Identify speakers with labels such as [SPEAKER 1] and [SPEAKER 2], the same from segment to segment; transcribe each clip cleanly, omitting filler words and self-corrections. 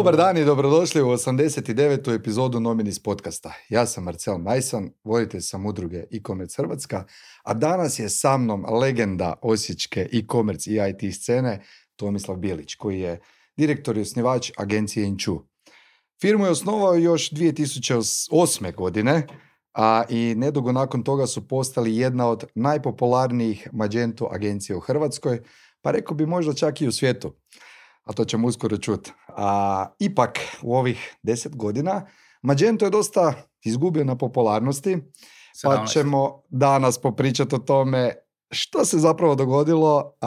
[SPEAKER 1] Dobar dan i dobrodošli u 89. epizodu Nominis podcasta. Ja sam Marcel Majsan, voditelj sam udruge e-commerce Hrvatska, a danas je sa mnom legenda osječke e-commerce i IT scene Tomislav Bilić, koji je direktor i osnivač agencije Inču. Firmu je osnovao još 2008. godine, a i nedugo nakon toga su postali jedna od najpopularnijih Magento agencija u Hrvatskoj, pa rekao bi možda čak i u svijetu. A to ćemo uskoro čuti. Ipak, u ovih 10 godina, Magento je dosta izgubio na popularnosti, pa ćemo danas popričati o tome što se zapravo dogodilo,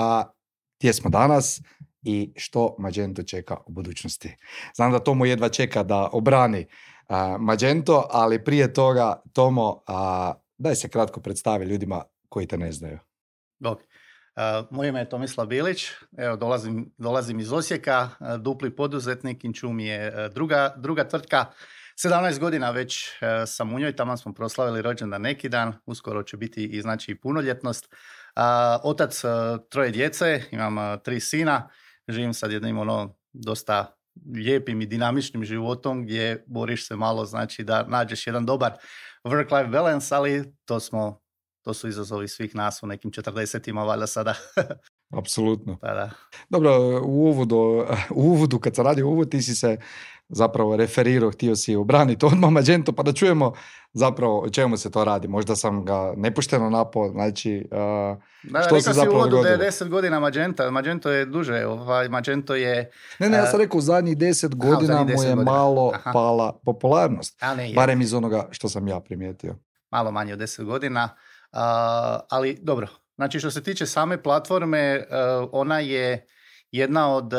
[SPEAKER 1] gdje smo danas i što Magento čeka u budućnosti. Znam da Tomo jedva čeka da obrani Magento, ali prije toga, Tomo, daj se kratko predstavi ljudima koji te ne znaju.
[SPEAKER 2] Okay. Moje ime je Tomislav Bilić, evo dolazim iz Osijeka, dupli poduzetnik, Inču mi je druga tvrtka. 17 godina već sam u njoj, tamo smo proslavili rođendan neki dan, uskoro će biti i znači punoljetnost. Otac 3 djece, imam 3 sina, živim sad jednim dosta lijepim i dinamičnim životom gdje boriš se malo, znači da nađeš jedan dobar work-life balance, ali to su izazovi svih nas u nekim 40-ima valjda sada.
[SPEAKER 1] Apsolutno.
[SPEAKER 2] Pa da.
[SPEAKER 1] Dobro, u uvodu kad sam radio uvod, ti si se zapravo referirao, htio si obraniti odmah Magento, pa da čujemo zapravo o čemu se to radi. Možda sam ga nepošteno napao, znači što se zapravo dogodilo.
[SPEAKER 2] Da je 10 godina Magento je duže, Magento je...
[SPEAKER 1] Ne, ja sam rekao u zadnjih 10 godina mu je malo pala popularnost, barem iz onoga što sam ja primijetio.
[SPEAKER 2] Malo manje od 10 godina. Ali dobro, znači što se tiče same platforme, ona je jedna od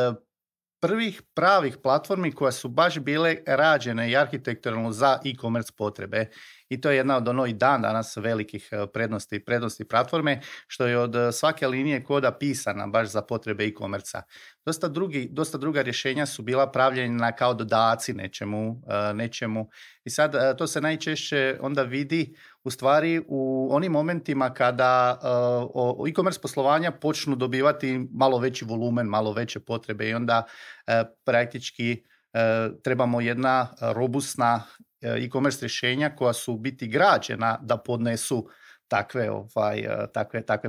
[SPEAKER 2] prvih pravih platformi koja su baš bile rađene i arhitekturalno za e-commerce potrebe. I to je jedna od i dan danas velikih prednosti platforme, što je od svake linije koda pisana baš za potrebe e-commerce-a. Dosta druga rješenja su bila pravljena kao dodaci nečemu. I sad to se najčešće onda vidi u stvari u onim momentima kada e-commerce poslovanja počnu dobivati malo veći volumen, malo veće potrebe i onda praktički trebamo jedna robustna e-commerce rješenja koja su biti građena da podnesu takve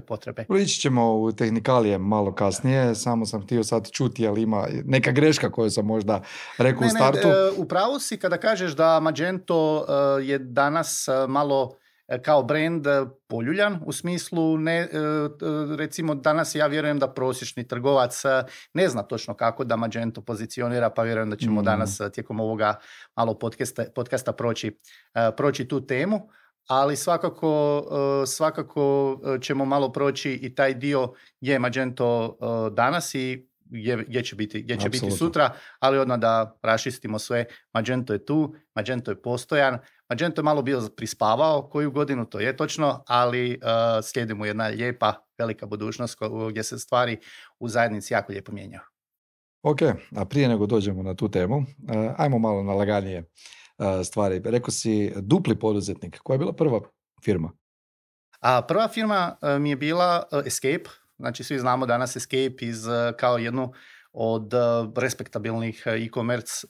[SPEAKER 2] potrebe.
[SPEAKER 1] Ići ćemo u tehnikalije malo kasnije, samo sam htio sad čuti, ali ima neka greška koju sam možda rekao u startu.
[SPEAKER 2] U pravu si kada kažeš da Magento je danas malo kao brand poljuljan, u smislu recimo danas ja vjerujem da prosječni trgovac ne zna točno kako da Magento pozicionira, pa vjerujem da ćemo danas tijekom ovoga malo podcasta proći tu temu, ali svakako ćemo malo proći i taj dio gdje je Magento danas i gdje će biti sutra, ali odmah da raščistimo sve. Magento je tu, Magento je postojan, Magento je malo bio prispavao koju godinu, to je točno, ali slijedi mu jedna lijepa, velika budućnost gdje se stvari u zajednici jako lijepo mijenjaju.
[SPEAKER 1] Ok, a prije nego dođemo na tu temu, ajmo malo na laganije stvari. Rekao si dupli poduzetnik, koja je bila prva firma?
[SPEAKER 2] Prva firma mi je bila Escape. Znači, svi znamo danas Escape kao jednu od respektabilnih e-commerce,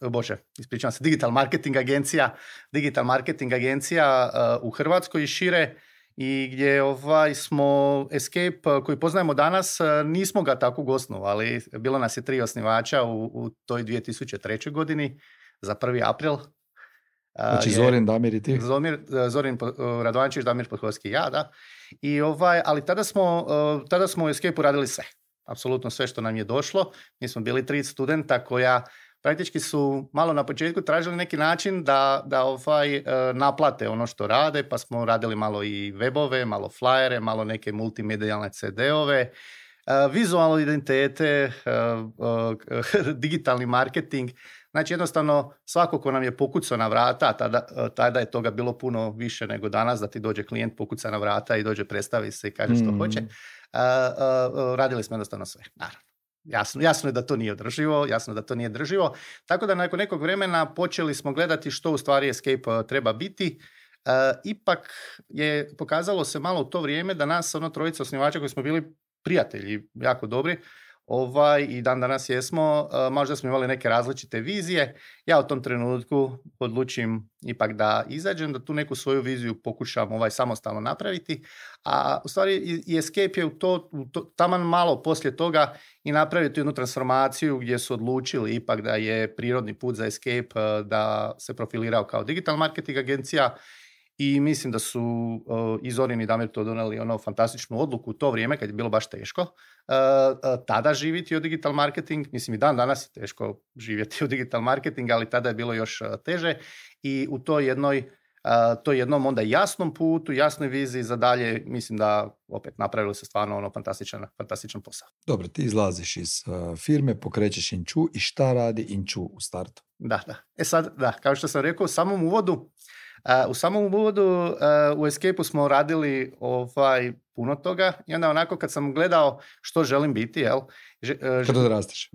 [SPEAKER 2] digital marketing agencija u Hrvatskoj i šire, i gdje smo Escape koji poznajemo danas, nismo ga tako osnovali. Bilo nas je 3 osnivača u toj 2003. godini za 1. april.
[SPEAKER 1] Znači Zorin, Damir i ti?
[SPEAKER 2] Zorin Radovančić, Damir Podhovski, ja, da. Ali tada smo u Escape-u radili sve. Apsolutno sve što nam je došlo. Mi smo bili 3 studenta koja praktički su malo na početku tražili neki način da naplate ono što rade, pa smo radili malo i webove, malo flyere, malo neke multimedijalne CD-ove, vizualne identitete, digitalni marketing. Znači jednostavno svako ko nam je pokucao na vrata, tada je toga bilo puno više nego danas, da ti dođe klijent, pokuca na vrata i dođe, predstavi se i kaže što hoće. Radili smo jednostavno sve, naravno. Jasno je da to nije održivo. Tako da nakon nekog vremena počeli smo gledati što u stvari Escape treba biti. Ipak je pokazalo se malo u to vrijeme da nas, 3 osnivača koji smo bili prijatelji jako dobri, I dan danas jesmo, možda smo imali neke različite vizije. Ja u tom trenutku odlučim ipak da izađem, da tu neku svoju viziju pokušam samostalno napraviti, a u stvari i Escape je taman malo poslije toga i napraviti jednu transformaciju gdje su odlučili ipak da je prirodni put za Escape da se profilirao kao digital marketing agencija. I mislim da su i Zorin i Damir to donijeli fantastičnu odluku u to vrijeme kad je bilo baš teško tada živjeti od digital marketing. Mislim i dan danas je teško živjeti od digital marketing, ali tada je bilo još teže i u toj jednom onda jasnom putu, jasnoj viziji za dalje, mislim da opet napravili se stvarno fantastičan posao.
[SPEAKER 1] Dobro, ti izlaziš iz firme, pokrećeš Inču i šta radi Inču u startu?
[SPEAKER 2] Da. Kao što sam rekao u samom uvodu, u Escape-u smo radili puno toga i onda onako kad sam gledao što želim biti,
[SPEAKER 1] kad odrasteš.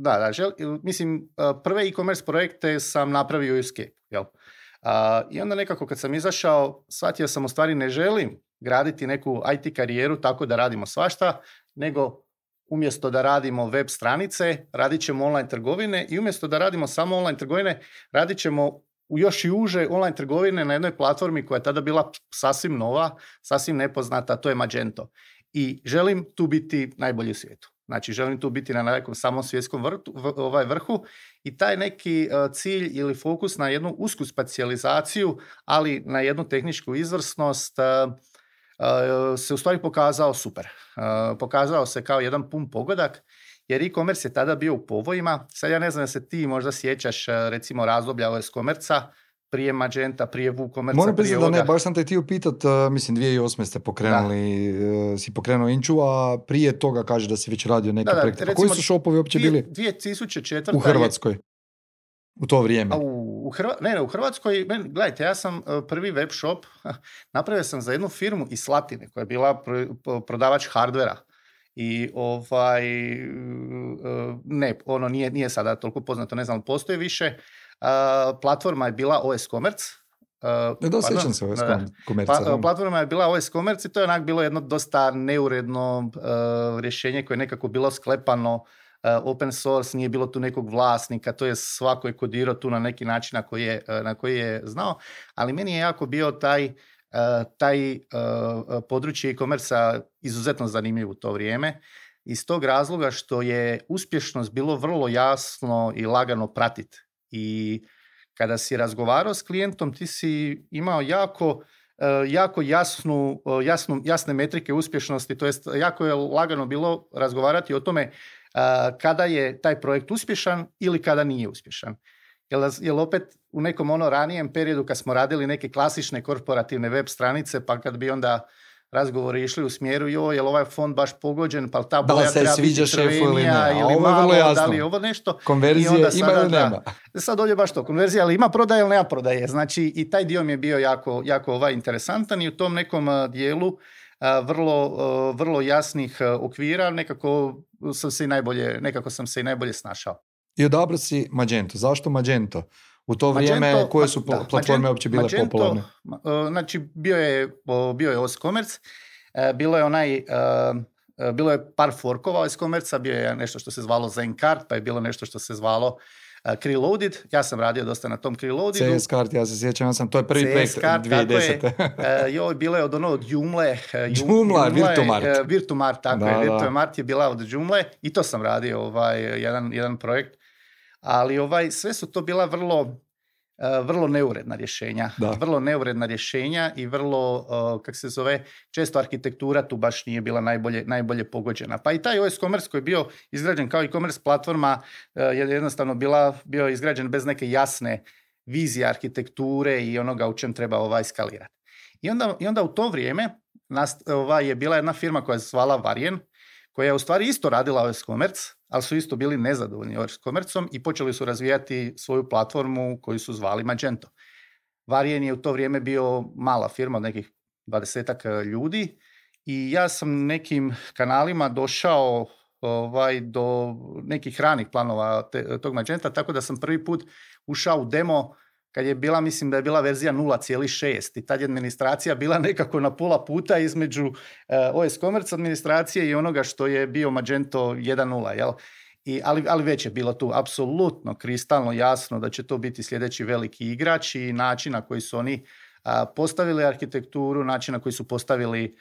[SPEAKER 2] Mislim, prve e-commerce projekte sam napravio u Escape-u, i onda nekako kad sam izašao, shvatio sam u stvari ne želim graditi neku IT karijeru tako da radimo svašta, nego umjesto da radimo web stranice, radit ćemo online trgovine i umjesto da radimo samo online trgovine, radit ćemo još i uže online trgovine na jednoj platformi koja je tada bila sasvim nova, sasvim nepoznata, to je Magento. I želim tu biti najbolji u svijetu. Znači, želim tu biti na nekom samom svjetskom vrhu i taj neki cilj ili fokus na jednu usku specijalizaciju, ali na jednu tehničku izvrsnost se u stvari pokazao super. Pokazao se kao jedan pun pogodak, jer e-commerce je tada bio u povojima. Sad ja ne znam da se ti možda sjećaš recimo razdoblja OS-Commerce-a, prije Magenta, prije WooCommerce-a.
[SPEAKER 1] Moram priznati da ne, baš sam te htio pitat, mislim 2008. ste pokrenuli, si pokrenuo Inču, a prije toga kaže da si već radio neke projekte. Pa koji su shopovi uopće bili
[SPEAKER 2] 2004.
[SPEAKER 1] u Hrvatskoj? U to vrijeme?
[SPEAKER 2] U Hrvatskoj, gledajte, ja sam prvi web shop napravio sam za jednu firmu iz Slatine koja je bila prodavač hardvera. I nije sada toliko poznato, ne znam, postoji više. Platforma je bila OS-Commerce.
[SPEAKER 1] Sjećam se OS-Commerce.
[SPEAKER 2] Platforma je bila OS-Commerce i to je onak bilo jedno dosta neuredno rješenje koje je nekako bilo sklepano open source, nije bilo tu nekog vlasnika, to je svako je kodirao tu na neki način na koji je znao, ali meni je jako bio taj područje e-commerce-a izuzetno zanimljiv u to vrijeme, iz tog razloga što je uspješnost bilo vrlo jasno i lagano pratiti. I kada si razgovarao s klijentom, ti si imao jako jasne metrike uspješnosti, to jest jako je lagano bilo razgovarati o tome kada je taj projekt uspješan ili kada nije uspješan. Jer opet u nekom ranijem periodu kad smo radili neke klasične korporativne web stranice, pa kad bi onda razgovori išli u smjeru, je li ovaj fond baš pogođen, pa ta boja treba biti crvenija ili malo, da li je ovo nešto.
[SPEAKER 1] Konverzije ima ili nema?
[SPEAKER 2] Sad ovdje baš to, konverzija, ali ima prodaje ili nema prodaje. Znači i taj dio mi je bio jako interesantan i u tom nekom dijelu vrlo jasnih okvira nekako sam se i najbolje snašao.
[SPEAKER 1] I odabrao si Magento. Zašto Magento? U to vrijeme koje su platforme uopće bile popularne?
[SPEAKER 2] Znači bio je OS-Commerce, bilo je par forkova OS-Commerce-a, bio je nešto što se zvalo Zencart, pa je bilo nešto što se zvalo Creloaded. Ja sam radio dosta na tom Creloadedu.
[SPEAKER 1] CS-Cart, ja se sjećam, to je prvi projekt 2010.
[SPEAKER 2] Bilo je od onog Joomla, Virtumart, tako je. Virtumart je bila od Joomla i to sam radio jedan projekt. Ali sve su to bila vrlo neuredna rješenja. Vrlo neuredna rješenja i vrlo, često arhitektura tu baš nije bila najbolje pogođena. Pa i taj OS-Commerce koji je bio izgrađen kao e-commerce platforma je jednostavno bio izgrađen bez neke jasne vizije arhitekture i onoga u čem treba skalirati. I onda u to vrijeme je bila jedna firma koja se zvala Varjen, koja je u stvari isto radila OS-Commerce, ali su isto bili nezadovoljni OS-Commerceom i počeli su razvijati svoju platformu koju su zvali Magento. Varjen je u to vrijeme bio mala firma od nekih 20 ljudi i ja sam nekim kanalima došao do nekih ranih planova tog Magenta, tako da sam prvi put ušao u demo kad je bila, mislim da je bila verzija 0.6 i tad je administracija bila nekako na pola puta između OS Commerce administracije i onoga što je bio Magento 1.0, jel? Ali već je bilo tu apsolutno kristalno jasno da će to biti sljedeći veliki igrač i način na koji su oni postavili arhitekturu, način na koji su postavili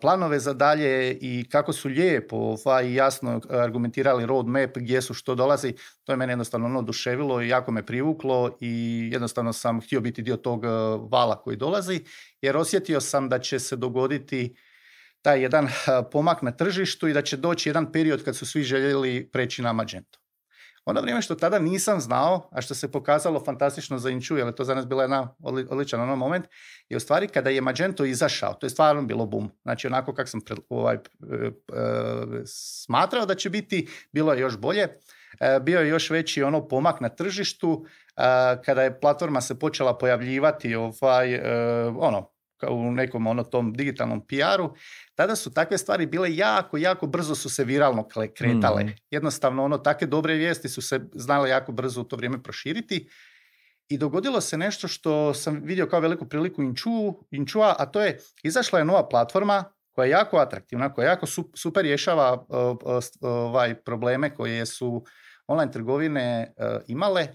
[SPEAKER 2] planove za dalje i kako su lijepo i jasno argumentirali roadmap gdje su što dolazi, to je mene jednostavno oduševilo i jako me privuklo i jednostavno sam htio biti dio tog vala koji dolazi, jer osjetio sam da će se dogoditi taj jedan pomak na tržištu i da će doći jedan period kad su svi željeli preći na Magento. Ono vrijeme što tada nisam znao, a što se pokazalo fantastično za Inču, jer je to za nas bila jedna odličan moment, je u stvari kada je Magento izašao, to je stvarno bilo boom. Znači onako kako sam smatrao da će biti, bilo je još bolje. Bio je još veći pomak na tržištu, kada je platforma se počela pojavljivati u nekom tom digitalnom PR-u, tada su takve stvari bile jako brzo su se viralno kretale. Jednostavno, takve dobre vijesti su se znale jako brzo u to vrijeme proširiti i dogodilo se nešto što sam vidio kao veliku priliku Inčua, a to je, izašla je nova platforma koja je jako atraktivna, koja jako super rješava probleme koje su online trgovine imale.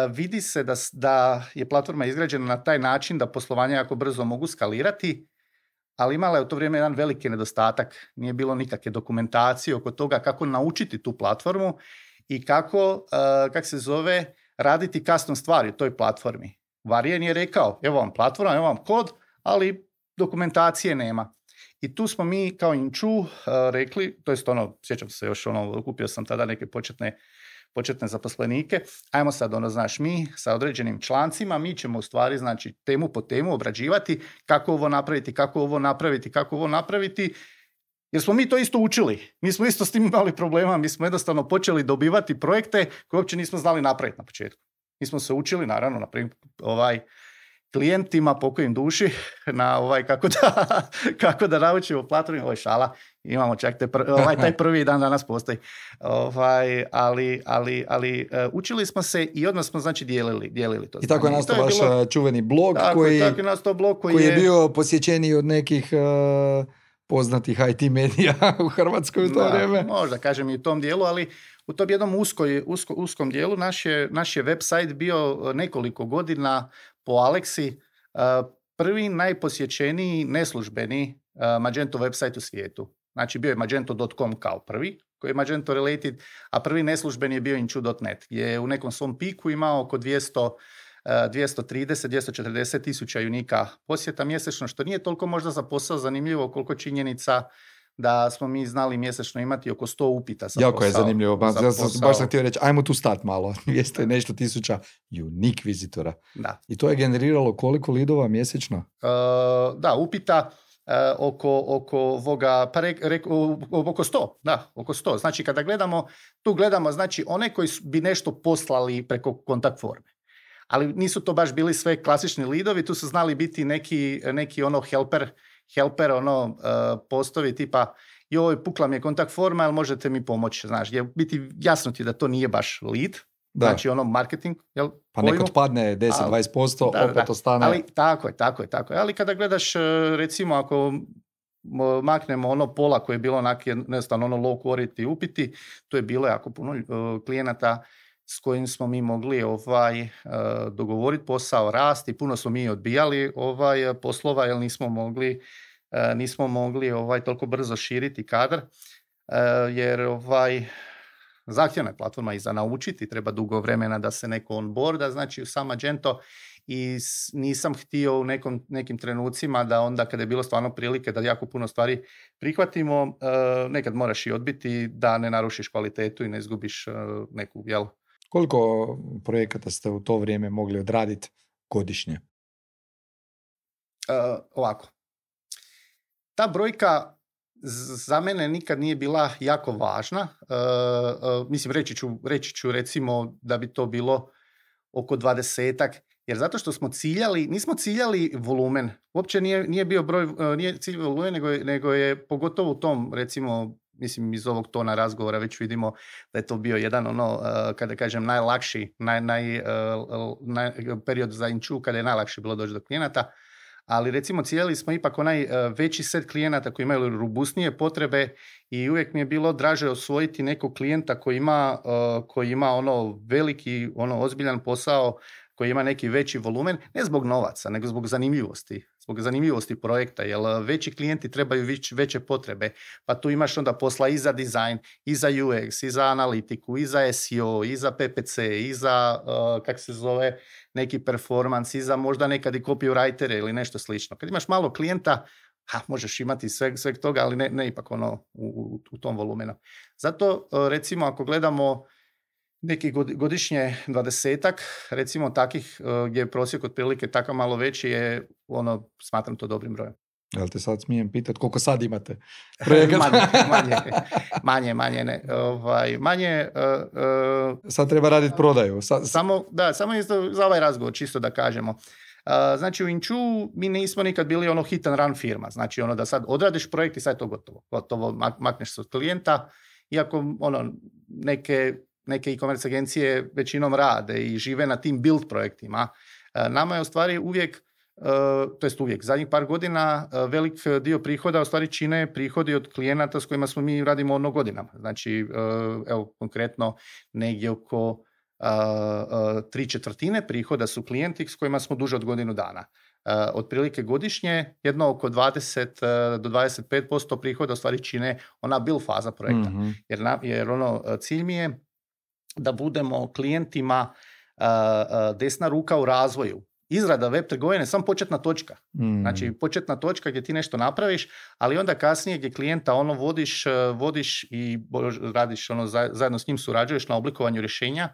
[SPEAKER 2] Vidi se da je platforma izgrađena na taj način da poslovanje jako brzo mogu skalirati, ali imala je u to vrijeme jedan veliki nedostatak. Nije bilo nikakve dokumentacije oko toga kako naučiti tu platformu i kako raditi custom stvari u toj platformi. Varian je rekao, evo vam platforma, evo vam kod, ali dokumentacije nema. I tu smo mi kao Inču rekli, to jest sjećam se još kupio sam tada neke početne zaposlenike, ajmo sad mi sa određenim člancima, mi ćemo u stvari temu po temu obrađivati kako ovo napraviti, jer smo mi to isto učili. Mi smo isto s tim imali problema, mi smo jednostavno počeli dobivati projekte koje uopće nismo znali napraviti na početku. Mi smo se učili, naravno, klijentima, pokojim duši, na kako da naučimo platformu, ovo je šala, imamo čak taj prvi dan danas postoji. Ali učili smo se i odmah smo dijelili to.
[SPEAKER 1] I tako je nastao vaš čuveni blog koji je bio posjećeniji od nekih poznatih IT medija u Hrvatskoj u to vrijeme.
[SPEAKER 2] Možda kažem i u tom dijelu, ali u tom jednom uskom dijelu naš je website bio nekoliko godina po Aleksi prvi najposjećeniji neslužbeni Magento website u svijetu. Znači bio je magento.com kao prvi, koji je Magento related, a prvi neslužbeni je bio inchu.net, gdje je u nekom svom piku imao oko 230-240 tisuća unika posjeta mjesečno, što nije toliko možda za posao zanimljivo koliko činjenica da smo mi znali mjesečno imati oko 100 upita za
[SPEAKER 1] jako
[SPEAKER 2] posao.
[SPEAKER 1] Je zanimljivo, baš sam htio reći, ajmo tu stat malo, 200 nešto tisuća unique vizitora.
[SPEAKER 2] Da.
[SPEAKER 1] I to je generiralo koliko lidova mjesečno?
[SPEAKER 2] Da, upita oko 100, da, oko 100. Znači kada gledamo, znači one koji bi nešto poslali preko kontakt forme. Ali nisu to baš bili sve klasični lidovi, tu su znali biti neki helper postovi tipa joj, pukla mi je kontakt forma, ali možete mi pomoći, znaš, je biti jasno ti da to nije baš lead, da. Znači marketing, jel?
[SPEAKER 1] Pa neko padne 10-20%, opet ostane.
[SPEAKER 2] Ali tako je. Ali kada gledaš, recimo, ako maknemo pola koje je bilo jednostavno low quality upiti, to je bilo jako puno klijenata s kojim smo mi mogli dogovoriti posao, rasti, puno smo mi odbijali poslova jer nismo mogli toliko brzo širiti kadar, jer zahtjevna je platforma i za naučiti, treba dugo vremena da se neko onboarda, znači u sam Magento, i nisam htio u nekim trenucima da onda kada je bilo stvarno prilike da jako puno stvari prihvatimo, nekad moraš i odbiti da ne narušiš kvalitetu i ne izgubiš neku, jel?
[SPEAKER 1] Koliko projekata ste u to vrijeme mogli odraditi godišnje?
[SPEAKER 2] Ovako. Ta brojka za mene nikad nije bila jako važna. Mislim, reći ću recimo da bi to bilo oko 20-ak, jer zato što nismo ciljali volumen. Uopće nije bio broj, nije cilj volumen, nego je pogotovo u tom, recimo, mislim iz ovog tona razgovora već vidimo da je to bio jedan kada kažem najlakši period za Inču kada je najlakše bilo doći do klijenata. Ali recimo cijeli smo ipak onaj veći set klijenata koji imaju robustnije potrebe i uvijek mi je bilo draže osvojiti nekog klijenta koji ima veliki, ozbiljan posao, koji ima neki veći volumen, ne zbog novaca, nego zbog zanimljivosti projekta, jer veći klijenti trebaju veće potrebe, pa tu imaš onda posla i za dizajn, i za UX, i za analitiku, i za SEO, i za PPC, i za, neki performance, i za možda nekad i copywritere ili nešto slično. Kad imaš malo klijenta, možeš imati sveg toga, ali ne ipak u tom volumenu. Zato, recimo, ako gledamo neki godišnje 20-ak, recimo takih gdje je prosjek otprilike tako malo veći je, smatram to dobrim brojem.
[SPEAKER 1] Jel te sad smijem pitati koliko sad imate?
[SPEAKER 2] Manje, ne.
[SPEAKER 1] Sad treba raditi prodaju.
[SPEAKER 2] Samo za ovaj razgovor, čisto da kažemo. Znači u Inču mi nismo nikad bili hit and run firma. Znači da sad odradiš projekt i sad je to gotovo. Makneš se od klijenta, iako neke e-commerce agencije većinom rade i žive na tim build projektima. Nama je u stvari uvijek, zadnjih par godina, velik dio prihoda u stvari čine prihodi od klijenata s kojima smo mi radimo godinama. Znači, evo konkretno negdje oko 3/4 prihoda su klijenti s kojima smo duže od godinu dana. Otprilike godišnje jedno oko 20 do 25% prihoda u stvari čine ona build faza projekta. Mm-hmm. Jer cilj mi je da budemo klijentima desna ruka u razvoju. Izrada web trgovine je samo početna točka. Znači početna točka gdje ti nešto napraviš, ali onda kasnije gdje klijenta vodiš i radiš zajedno s njim surađuješ na oblikovanju rješenja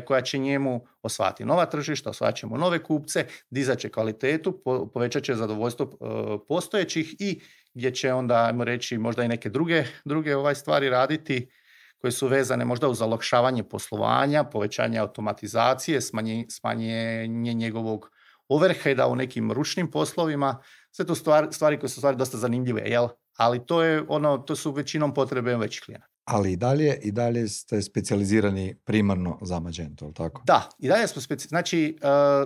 [SPEAKER 2] koja će njemu osvajati nova tržišta, osvajat ćemo nove kupce, dizat će kvalitetu, povećat će zadovoljstvo postojećih i gdje će onda, ajmo reći, možda i neke druge stvari raditi koje su vezane možda uz olakšavanje poslovanja, povećanje automatizacije, smanjenje njegovog overheada u nekim ručnim poslovima. Sve to stvari koje su stvari dosta zanimljive, jel? Ali to su većinom potrebe većih klijenata.
[SPEAKER 1] Ali i dalje ste specijalizirani primarno za Magento, ili tako?
[SPEAKER 2] Da, i dalje smo znači,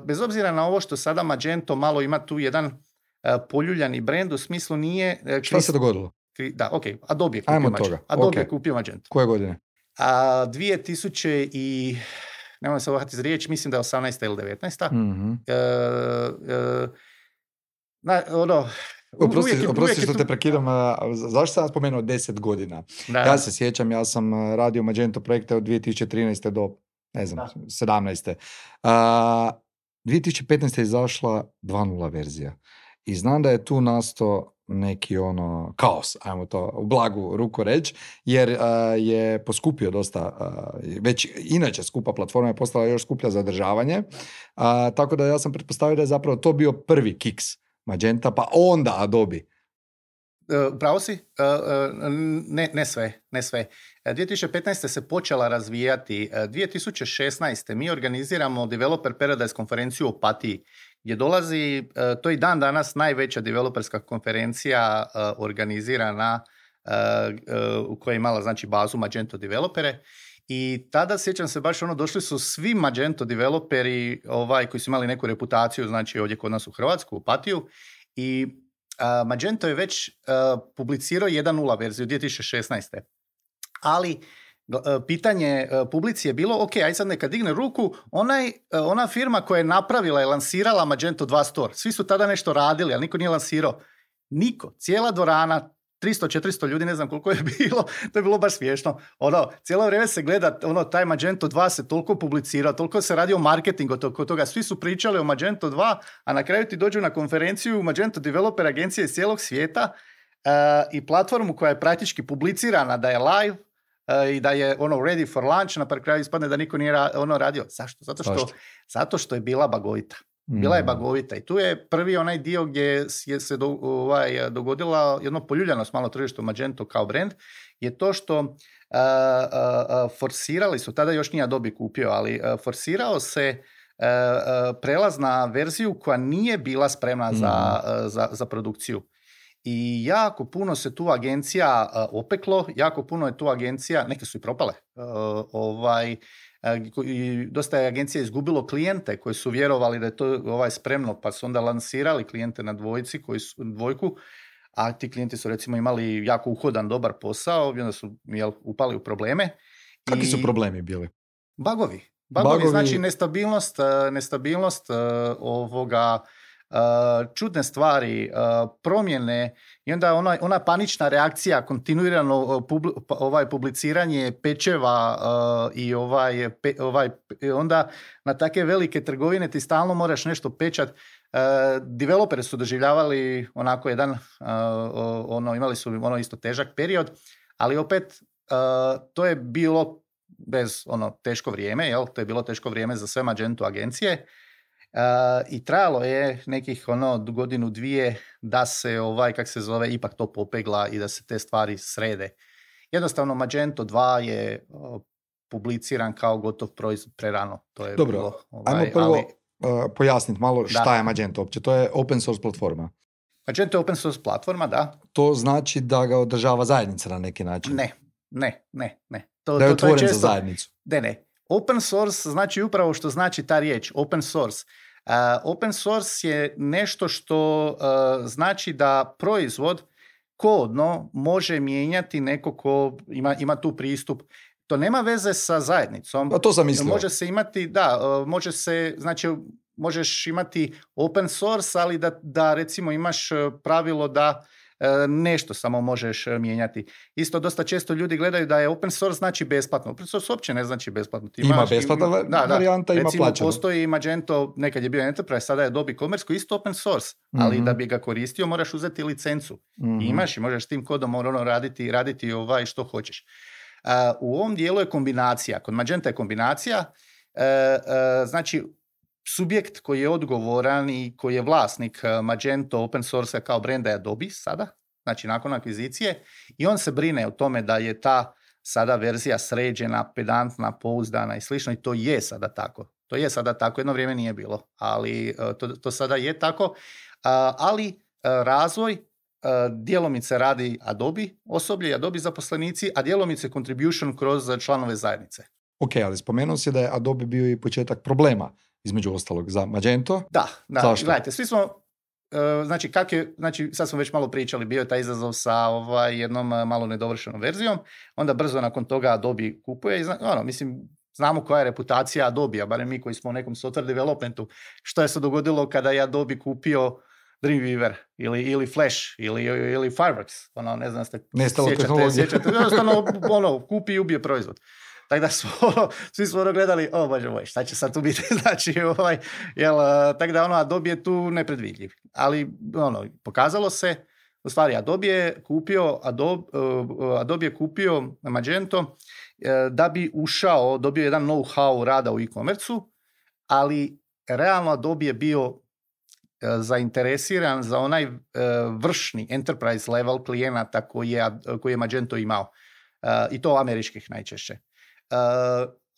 [SPEAKER 2] bez obzira na ovo što sada Magento malo ima tu jedan poljuljani brend, u smislu nije...
[SPEAKER 1] Šta se dogodilo?
[SPEAKER 2] Da, ok, Adobe je kupio Magento.
[SPEAKER 1] Koje godine?
[SPEAKER 2] 2000 i... Nemoj se ohati za riječ, mislim da je 18. ili 19. Mm-hmm.
[SPEAKER 1] Oprosti što te prekidam, zašto sam spomenuo 10 godina? Da. Ja se sjećam, ja sam radio Magento projekte od 2013. do, 17. 2015. je izašla 2.0 verzija i znam da je tu nastao neki kaos, ajmo to u blagu ruku reći, jer je poskupio dosta, već inače skupa platforma je postala još skuplja za održavanje, tako da ja sam pretpostavio da je zapravo to bio prvi kiks Magenta, pa onda Adobe.
[SPEAKER 2] Pravo si? Ne sve. 2015. se počela razvijati. 2016. mi organiziramo Developer Paradise konferenciju u Opatiji, gdje dolazi, to je i dan danas najveća developerska konferencija organizirana u kojoj je imala znači bazu Magento developere. I tada, sjećam se, baš došli su svi Magento developeri koji su imali neku reputaciju, znači ovdje kod nas u Hrvatsku, u Opatiju. I Magento je već publicirao 1.0 verziju 2016. Ali pitanje publici je bilo, ok, aj sad neka digne ruku, ona firma koja je napravila i lansirala Magento 2 Store. Svi su tada nešto radili, ali niko nije lansirao. Niko. Cijela dvorana, 300-400 ljudi, ne znam koliko je bilo, to je bilo baš smiješno. Cijelo vrijeme se gleda, taj Magento 2 se toliko publicira, toliko se radi o marketingu kod toga, svi su pričali o Magento 2, a na kraju ti dođu na konferenciju Magento developer agencije iz cijelog svijeta i platformu koja je praktički publicirana da je live i da je ready for launch, na kraju ispadne da niko nije radio. Zašto? Zato što je bila bagovita. Bila je bagovita i tu je prvi onaj dio gdje je se dogodila jedno poljuljanost malo tržištu Magento kao brand, je to što forsirali su, tada još nije Adobe kupio, ali forsirao se prelaz na verziju koja nije bila spremna za produkciju. I jako puno se tu agencija opeklo, jako puno je tu agencija, neke su i propale, dosta je agencija izgubilo klijente koji su vjerovali da je to spremno, pa su onda lansirali klijente na dvojku, a ti klijenti su recimo imali jako uhodan, dobar posao i onda su upali u probleme.
[SPEAKER 1] Kakvi su problemi bili?
[SPEAKER 2] Bagovi, znači nestabilnost čudne stvari, promjene i onda ona panična reakcija, kontinuirano publiciranje pečeva i onda na takve velike trgovine ti stalno moraš nešto pečat. Developeri su doživljavali onako jedan, imali su isto težak period, ali opet to je bilo bez teško vrijeme, to je bilo teško vrijeme za sve Magento agencije. I trajalo je nekih godinu, dvije da se ipak to popegla i da se te stvari srede. Jednostavno Magento 2 je publiciran kao gotov proizvod prerano. To je
[SPEAKER 1] dobro,
[SPEAKER 2] bilo,
[SPEAKER 1] ajmo prvo pojasniti malo šta je Magento uopće. To je open source platforma.
[SPEAKER 2] Magento je open source platforma, da.
[SPEAKER 1] To znači da ga održava zajednica na neki način?
[SPEAKER 2] Ne.
[SPEAKER 1] Da je otvoren za zajednicu?
[SPEAKER 2] Ne. Open source znači upravo što znači ta riječ, open source. Open source je nešto što znači da proizvod kodno može mijenjati neko ko ima tu pristup. To nema veze sa zajednicom.
[SPEAKER 1] A to sam mislio.
[SPEAKER 2] Može se imati, možeš imati open source, ali da recimo imaš pravilo da nešto samo možeš mijenjati. Isto dosta često ljudi gledaju da je open source znači besplatno. Open source uopće ne znači besplatno.
[SPEAKER 1] Ima besplatna varijanta, ima
[SPEAKER 2] recimo,
[SPEAKER 1] plaćeno.
[SPEAKER 2] Postoji Magento, nekad je bio Enterprise, sada je Adobe Commerce koji je isto open source, ali da bi ga koristio moraš uzeti licencu. I možeš tim kodom raditi što hoćeš. U ovom dijelu je kombinacija. Kod Magenta je kombinacija, znači subjekt koji je odgovoran i koji je vlasnik Magento open source kao brenda je Adobe sada, znači nakon akvizicije, i on se brine o tome da je ta sada verzija sređena, pedantna, pouzdana i slično, i to je sada tako. Jedno vrijeme nije bilo, ali to sada je tako. Ali razvoj djelomice radi Adobe osoblje, Adobe zaposlenici, a djelomice contribution kroz članove zajednice.
[SPEAKER 1] Ok, ali spomenuo si da je Adobe bio i početak problema, između ostalog, za Magento.
[SPEAKER 2] Da.
[SPEAKER 1] Zašto?
[SPEAKER 2] Gledajte, svi smo, sad smo već malo pričali, bio je taj izazov sa jednom malo nedovršenom verzijom, onda brzo nakon toga Adobe kupuje i znamo koja je reputacija Adobe-a, barem mi koji smo u nekom software developmentu, što je se dogodilo kada je Adobe kupio Dreamweaver ili Flash ili Fireworks, ne znam ste sjećate, jednostavno kupi i ubije proizvod. Tako da svi smo gledali, bože moj, šta će sad tu biti, tako da Adobe je tu nepredvidljiv. Ali pokazalo se, u stvari Adobe je kupio Magento da bi dobio jedan know-how rada u e-commerce-u, ali realno Adobe je bio zainteresiran za onaj vršni enterprise level klijenata koji je Magento imao, i to američkih najčešće.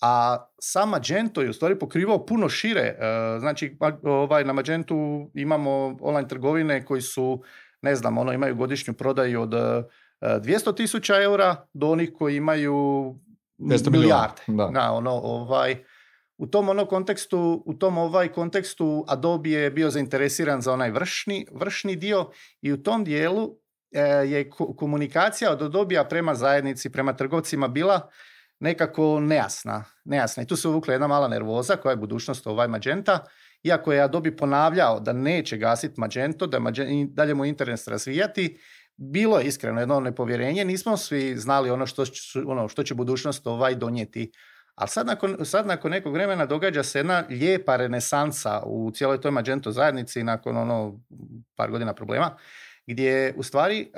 [SPEAKER 2] A sam Magento je u stvari pokrivao puno šire. Znači, na Magentu imamo online trgovine koji su, imaju godišnju prodaju od 200,000 eura do onih koji imaju milijarde. U tom kontekstu Adobe je bio zainteresiran za onaj vršni dio, i u tom dijelu je komunikacija od Adobe-a prema zajednici, prema trgovcima bila nekako nejasna. I tu se uvukla jedna mala nervoza koja je budućnost Magenta, iako je Adobe ponavljao da neće gasiti Magento, da dalje mu interes razvijati, bilo je iskreno jedno nepovjerenje, nismo svi znali što će budućnost donijeti. Ali sad nakon nekog vremena događa se jedna lijepa renesansa u cijeloj toj Magento zajednici nakon par godina problema, gdje u stvari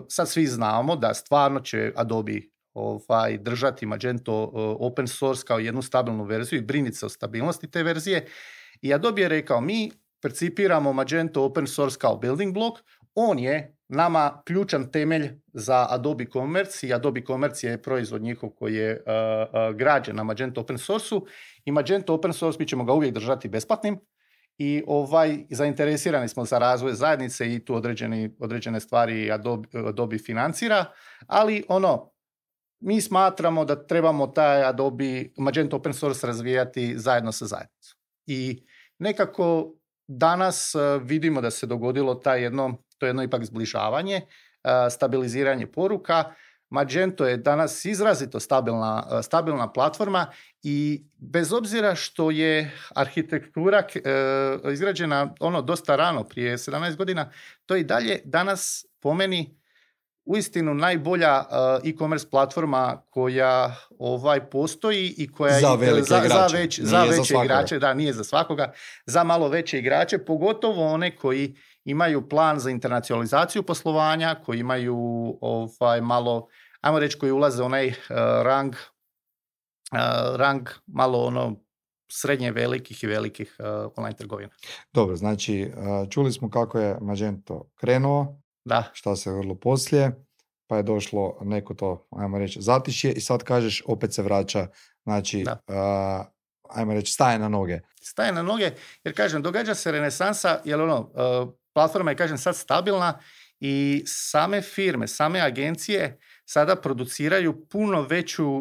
[SPEAKER 2] sad svi znamo da stvarno će Adobe držati Magento open source kao jednu stabilnu verziju i briniti se o stabilnosti te verzije. I Adobe je rekao, mi percipiramo Magento open source kao building block, on je nama ključan temelj za Adobe Commerce, i Adobe Commerce je proizvod njihov koji je građen na Magento open source-u, i Magento open source mi ćemo ga uvijek držati besplatnim, i zainteresirani smo za razvoj zajednice i tu određene stvari Adobe financira, ali mi smatramo da trebamo taj Adobe Magento Open Source razvijati zajedno sa zajednicom. I nekako danas vidimo da se dogodilo to jedno ipak zbližavanje, stabiliziranje poruka. Magento je danas izrazito stabilna platforma i bez obzira što je arhitektura izgrađena dosta rano, prije 17 godina, to je i dalje danas po meni uistinu najbolja e-commerce platforma koja postoji i koja
[SPEAKER 1] za velike igrače.
[SPEAKER 2] Za veće igrače, da, nije za svakoga, za malo veće igrače, pogotovo one koji imaju plan za internacionalizaciju poslovanja, koji imaju malo, ajmo reći, koji ulaze onaj rang malo srednje velikih i velikih online trgovina.
[SPEAKER 1] Dobro, znači čuli smo kako je Magento krenuo, šta se vrlo poslije, pa je došlo neko to, ajmo reći, zatišje i sad kažeš opet se vraća, znači, ajmo reći, staje na noge.
[SPEAKER 2] Staje na noge, jer kažem, događa se renesansa, jer platforma je, kažem, sad stabilna i same firme, same agencije sada produciraju puno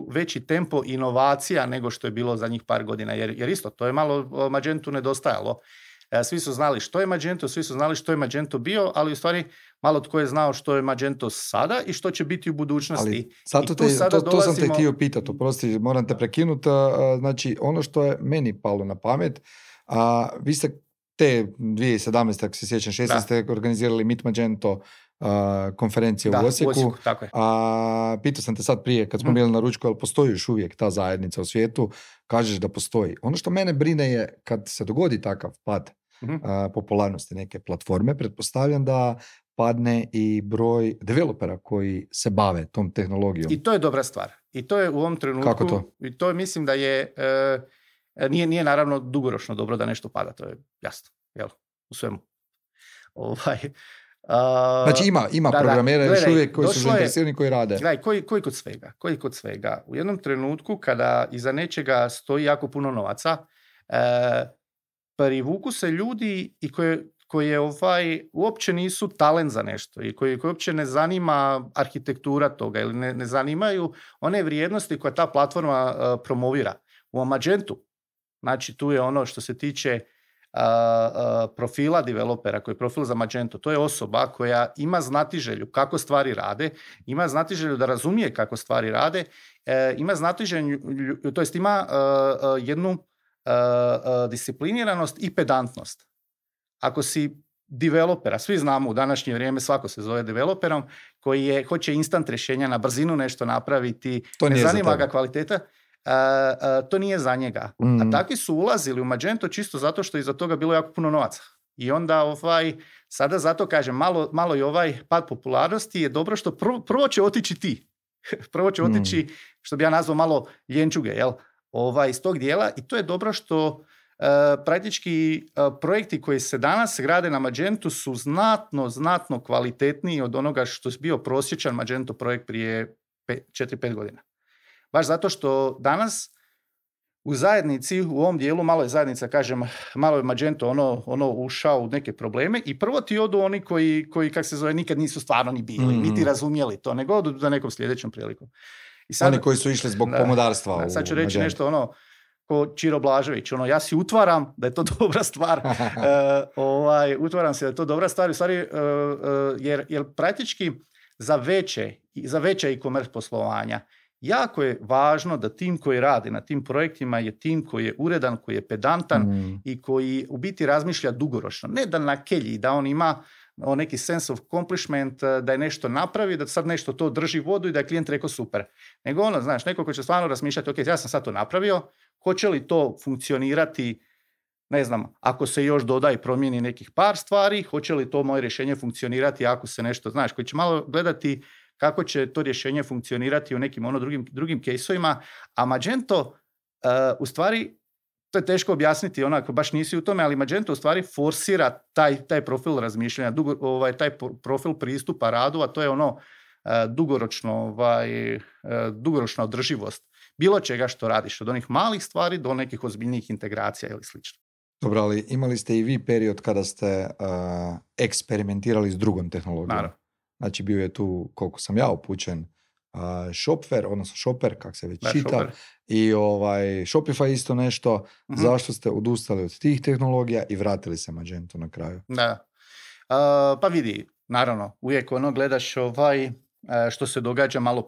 [SPEAKER 2] veći tempo inovacija nego što je bilo zadnjih par godina, jer isto, to je malo Magentu nedostajalo. Svi su znali što je Magento, svi su znali što je Magento bio, ali u stvari malo tko je znao što je Magento sada i što će biti u budućnosti.
[SPEAKER 1] Ali to sam te htio pitati, oprosti, moram te prekinuti. Znači, ono što je meni palo na pamet, vi ste te 2017. ako se sjećam, 16. organizirali Meet Magento konferencije u Osijeku.
[SPEAKER 2] Tako je.
[SPEAKER 1] Pitao sam te sad prije kad smo bili na ručku, ali postoji još uvijek ta zajednica u svijetu, kažeš da postoji. Ono što mene brine je kad se dogodi takav pad popularnosti neke platforme, pretpostavljam da padne i broj developera koji se bave tom tehnologijom.
[SPEAKER 2] I to je dobra stvar. I to je u ovom trenutku...
[SPEAKER 1] Kako to?
[SPEAKER 2] I to mislim da je... Nije naravno dugoročno dobro da nešto pada, to je jasno. Jel? U svemu.
[SPEAKER 1] Znači ima programera još uvijek koji su zainteresirani, koji rade.
[SPEAKER 2] Gledaj, koji kod svega. U jednom trenutku kada iza nečega stoji jako puno novaca, privuku se ljudi i koje uopće nisu talent za nešto i koji uopće ne zanima arhitektura toga ili ne zanimaju one vrijednosti koje ta platforma promovira. U Magentu, znači tu je ono što se tiče profila developera, koji je profil za Magento, to je osoba koja ima znatiželju kako stvari rade, ima znatiželju da razumije kako stvari rade, ima znatiželju, to jest ima jednu discipliniranost i pedantnost. Ako si developera, svi znamo u današnje vrijeme, svako se zove developerom, koji hoće instant rješenja, na brzinu nešto napraviti, ne zanima ga kvaliteta, to nije za njega. A takvi su ulazili u Magento čisto zato što je iza toga bilo jako puno novaca. I onda sada zato kažem, malo i ovaj pad popularnosti je dobro što prvo će otići ti. Prvo će otići, što bi ja nazvao malo ljenčuge, jel? Iz tog dijela, i to je dobro što praktički projekti koji se danas grade na Magentu su znatno kvalitetniji od onoga što je bio prosječan Magento projekt prije 4-5 godina. Baš zato što danas u zajednici, u ovom dijelu, malo je zajednica, kažem, malo je Magento ušao u neke probleme i prvo ti odu oni koji kak se zove, nikad nisu stvarno ni bili, niti razumjeli to, nego odu za nekom sljedećom prilikom. I sad,
[SPEAKER 1] oni koji su išli zbog pomodarstva.
[SPEAKER 2] Sad ću reći nešto ko Čiro Blažević, ja si utvaram da je to dobra stvar, utvaram se da je to dobra stvar, u stvari, jer praktički za veće e-commerce poslovanja jako je važno da tim koji radi na tim projektima je tim koji je uredan, koji je pedantan i koji u biti razmišlja dugoročno. Ne da na kelji, da on ima neki sense of accomplishment, da je nešto napravi, da sad nešto to drži vodu i da je klijent rekao super. Nego neko ko će stvarno razmišljati, ok, ja sam sad to napravio, hoće li to funkcionirati, ne znam, ako se još doda i promijeni nekih par stvari, hoće li to moje rješenje funkcionirati ako se nešto, koji će malo gledati kako će to rješenje funkcionirati u nekim drugim caseovima, a Magento u stvari, to je teško objasniti onako, baš nisi u tome, ali Magento u stvari forsira taj profil razmišljanja, taj profil pristupa radu, a to je dugoročna održivost bilo čega što radiš, od onih malih stvari do nekih ozbiljnijih integracija ili slično.
[SPEAKER 1] Dobro, ali imali ste i vi period kada ste eksperimentirali s drugom tehnologijom.
[SPEAKER 2] Naravno.
[SPEAKER 1] Znači bio je tu, koliko sam ja upućen, Shopware, odnosno Shopper, kak se već čita,
[SPEAKER 2] Shopper.
[SPEAKER 1] i Shopify isto nešto. Zašto ste odustali od tih tehnologija i vratili se Magento na kraju?
[SPEAKER 2] Da. Pa vidi, naravno, uvijek gledaš što se događa, malo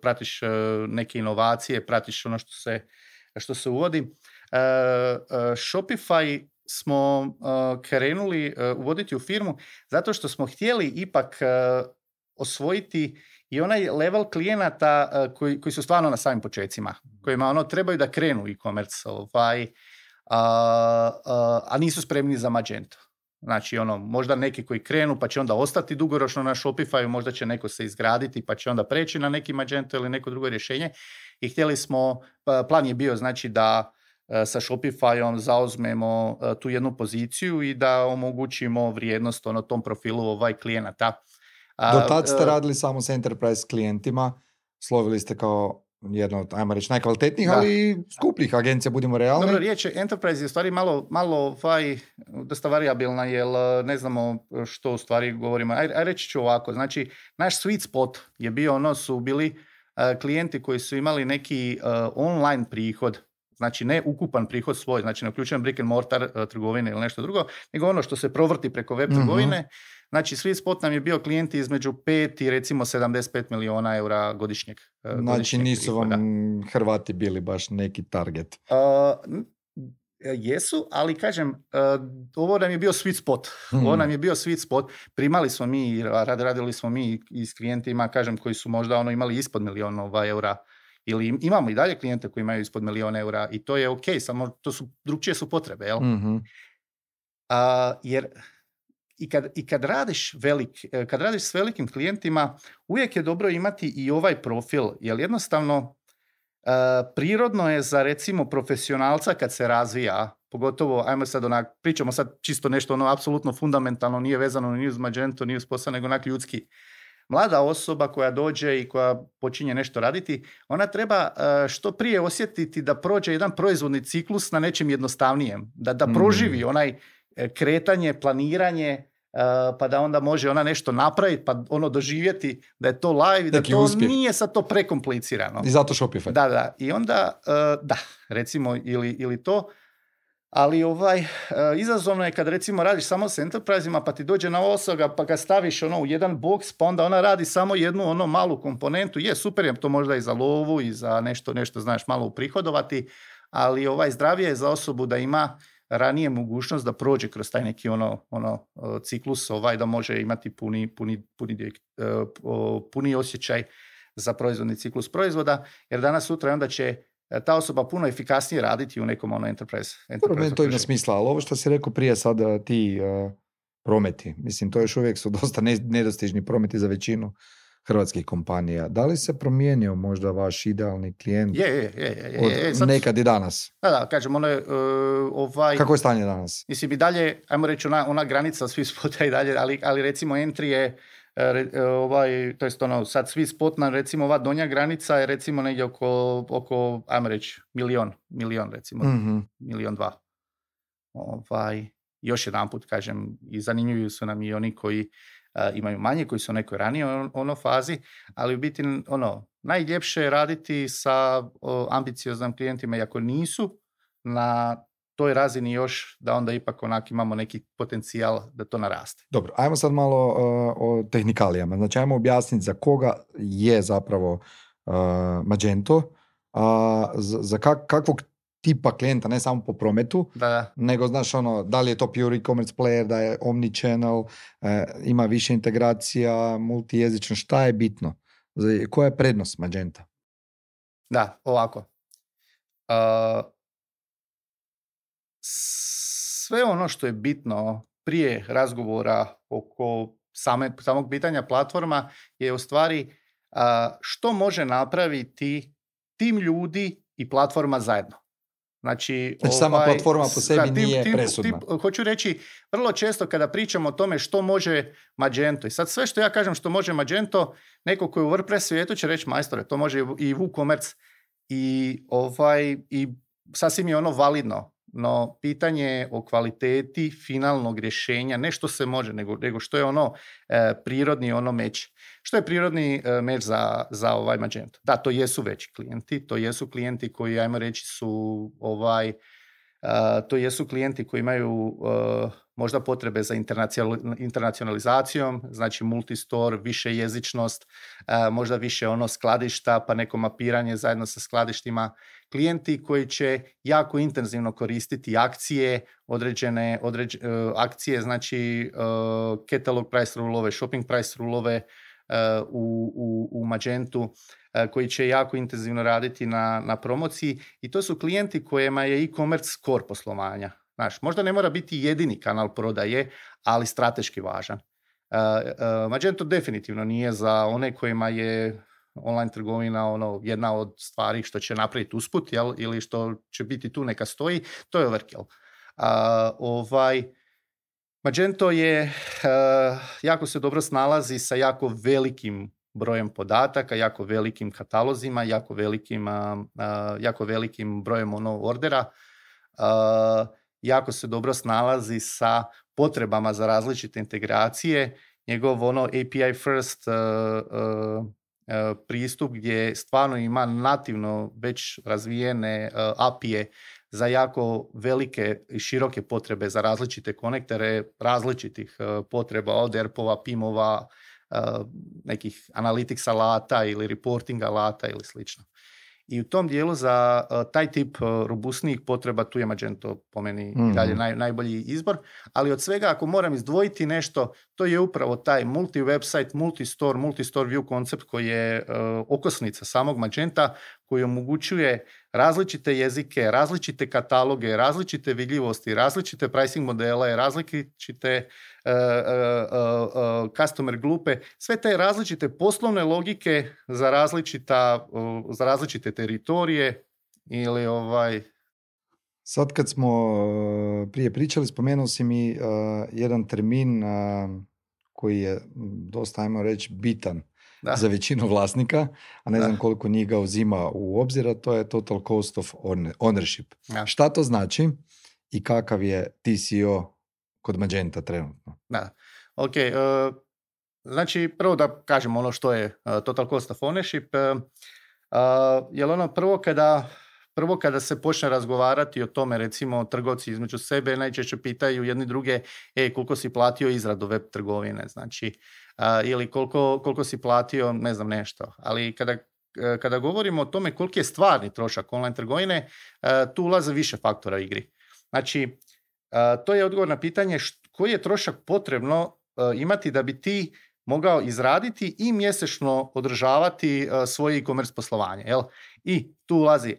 [SPEAKER 2] pratiš neke inovacije, pratiš ono što se uvodi. Shopify smo krenuli uvoditi u firmu zato što smo htjeli ipak osvojiti i onaj level klijenata koji su stvarno na samim počecima, kojima trebaju da krenu e-commerce, a nisu spremni za Magento. Znači, možda neki koji krenu pa će onda ostati dugoročno na Shopify, možda će neko se izgraditi pa će onda preći na neki Magento ili neko drugo rješenje. I htjeli smo, plan je bio znači da sa Shopifyom zauzmemo tu jednu poziciju i da omogućimo vrijednost tom profilu klijenata.
[SPEAKER 1] Do tad ste radili samo s enterprise klijentima, slovili ste kao jedno od, ajmo reći, najkvalitetnijih, ali skupljih agencija, budimo realni.
[SPEAKER 2] Dobro, riječ je enterprise je u stvari malo dosta variabilna, jer ne znamo što u stvari govorimo. Reći ću ovako, znači naš sweet spot je bio, su bili klijenti koji su imali neki online prihod, znači ne ukupan prihod svoj, znači ne uključujem brick and mortar trgovine ili nešto drugo, nego ono što se provrti preko web trgovine. Znači, sweet spot nam je bio klijenti između 5 i recimo 75 milijuna eura godišnjeg.
[SPEAKER 1] Znači nisu prihoda. Vam Hrvati bili baš neki target?
[SPEAKER 2] Jesu, ali kažem, ovo nam je bio sweet spot. Ovo nam je bio sweet spot. Primali smo mi, radili smo mi i s klijentima, kažem, koji su možda imali ispod milijuna eura. Ili imamo i dalje klijente koji imaju ispod milijuna eura i to je ok, samo to su drugčije su potrebe, jel? Jer kad radiš s velikim klijentima, uvijek je dobro imati i ovaj profil, jer jednostavno prirodno je za recimo profesionalca kad se razvija, pogotovo, ajmo sad pričamo sad čisto nešto apsolutno fundamentalno, nije vezano ni uz Magento, ni uz posao, nego ljudski. Mlada osoba koja dođe i koja počinje nešto raditi, ona treba što prije osjetiti da prođe jedan proizvodni ciklus na nečem jednostavnijem, da proživi onaj kretanje, planiranje, pa da onda može ona nešto napraviti, pa doživjeti da je to live i da to uspjeh. Nije sad to prekomplicirano.
[SPEAKER 1] I zato Shopify.
[SPEAKER 2] Da. I onda, recimo, ili to, ali izazovno je kad recimo radiš samo s enterprise-ima, pa ti dođe na osoba, pa ga staviš u jedan box, pa onda ona radi samo jednu malu komponentu. Je, super je to možda i za lovu i za nešto znaš malo uprihodovati, ali zdravije je za osobu da ima ranije mogućnost da prođe kroz taj neki ciklus, da može imati puni osjećaj za proizvodni ciklus proizvoda, jer danas sutra onda će ta osoba puno efikasnije raditi u nekom enterprise.
[SPEAKER 1] Meni to ima smisla, ali ovo što si rekao prije sada ti prometi, mislim, to još uvijek su dosta nedostižni prometi za većinu hrvatskih kompanija. Da li se promijenio možda vaš idealni klijent od nekad i danas?
[SPEAKER 2] Da, kažem, ono je...
[SPEAKER 1] Kako je stanje danas?
[SPEAKER 2] Mislim, i dalje, ajmo reći, ona granica sweet spota i dalje, ali recimo entry je, to jest sad sweet spot na recimo ova donja granica je recimo negdje oko ajmo reći, milion recimo, 1,2 miliona. Još jedan put kažem, i zanimljivi su nam i oni koji imaju manje, koji su u nekoj ranije fazi, ali u biti najljepše je raditi sa ambicioznim klijentima, i ako nisu na toj razini još, da onda ipak imamo neki potencijal da to naraste.
[SPEAKER 1] Dobro, ajmo sad malo o tehnikalijama. Znači, ajmo objasniti za koga je zapravo Magento, za kakvog tipa klijenta, ne samo po prometu, nego znaš da li je to pure e-commerce player, da je omnichannel, ima više integracija, multijezično, šta je bitno? Koja je prednost Magenta?
[SPEAKER 2] Da, ovako. Sve ono što je bitno prije razgovora oko samog pitanja platforma je u stvari što može napraviti tim ljudi i platforma zajedno. Znači
[SPEAKER 1] sama platforma po sebi nije presudna.
[SPEAKER 2] Hoću reći, vrlo često kada pričamo o tome što može Magento, i sad sve što ja kažem što može Magento, neko koji je u WordPress svijetu će reći, majstore, to može i WooCommerce i sasvim je validno. no pitanje je o kvaliteti finalnog rješenja, ne što se može, nego što je ono prirodni ono meč. Što je prirodni meč za ovaj Magento? Da, to jesu veći klijenti, to jesu klijenti koji, ajmo reći, su to jesu klijenti koji imaju možda potrebe za internacionalizacijom, znači multistore, više jezičnost, možda više ono skladišta, pa neko mapiranje zajedno sa skladištima. Klijenti koji će jako intenzivno koristiti akcije, određene akcije, znači catalog price rulove, shopping price rulove u Magentu, koji će jako intenzivno raditi na promociji, i to su klijenti kojima je e-commerce core poslovanja. Znaš, možda ne mora biti jedini kanal prodaje, ali strateški važan. Magento definitivno nije za one kojima je online trgovina jedna od stvari što će napraviti usput, ili što će biti tu neka stoji, to je overkill. Magento je jako se dobro snalazi sa jako velikim brojem podataka, jako velikim katalozima, jako velikim brojem ordera. Jako se dobro snalazi sa potrebama za različite integracije. Njegov API first pristup gdje stvarno ima nativno već razvijene API-e za jako velike i široke potrebe za različite konektore, različitih potreba od ERP-ova, PIM-ova, nekih analytics alata ili reporting alata ili slično. I u tom dijelu za taj tip robustnijih potreba tu je Magento po meni i dalje najbolji izbor, ali od svega ako moram izdvojiti nešto, to je upravo taj multi-website, multi-store view koncept koji je okosnica samog Magenta, koji omogućuje različite jezike, različite kataloge, različite vidljivosti, različite pricing modele, različite customer grupe, sve te različite poslovne logike za različite teritorije ili
[SPEAKER 1] Sad kad smo prije pričali, spomenuo si mi jedan termin koji je dosta, ajmo reći, bitan za većinu vlasnika, a ne znam koliko njih ga uzima u obzir, a to je total cost of ownership. Ja. Šta to znači i kakav je TCO kod Magenta trenutno?
[SPEAKER 2] Da, ok. Znači, prvo da kažem ono što je total cost of ownership. Jer prvo kada se počne razgovarati o tome, recimo trgovci između sebe najčešće pitaju jedni druge, koliko si platio izradu web trgovine, znači, ili koliko si platio, ne znam, nešto. Ali kada govorimo o tome koliki je stvarni trošak online trgovine, tu ulaze više faktora u igri. Znači, to je odgovor na pitanje koji je trošak potrebno imati da bi ti mogao izraditi i mjesečno održavati svoje e-commerce poslovanje. Jel? I tu ulazi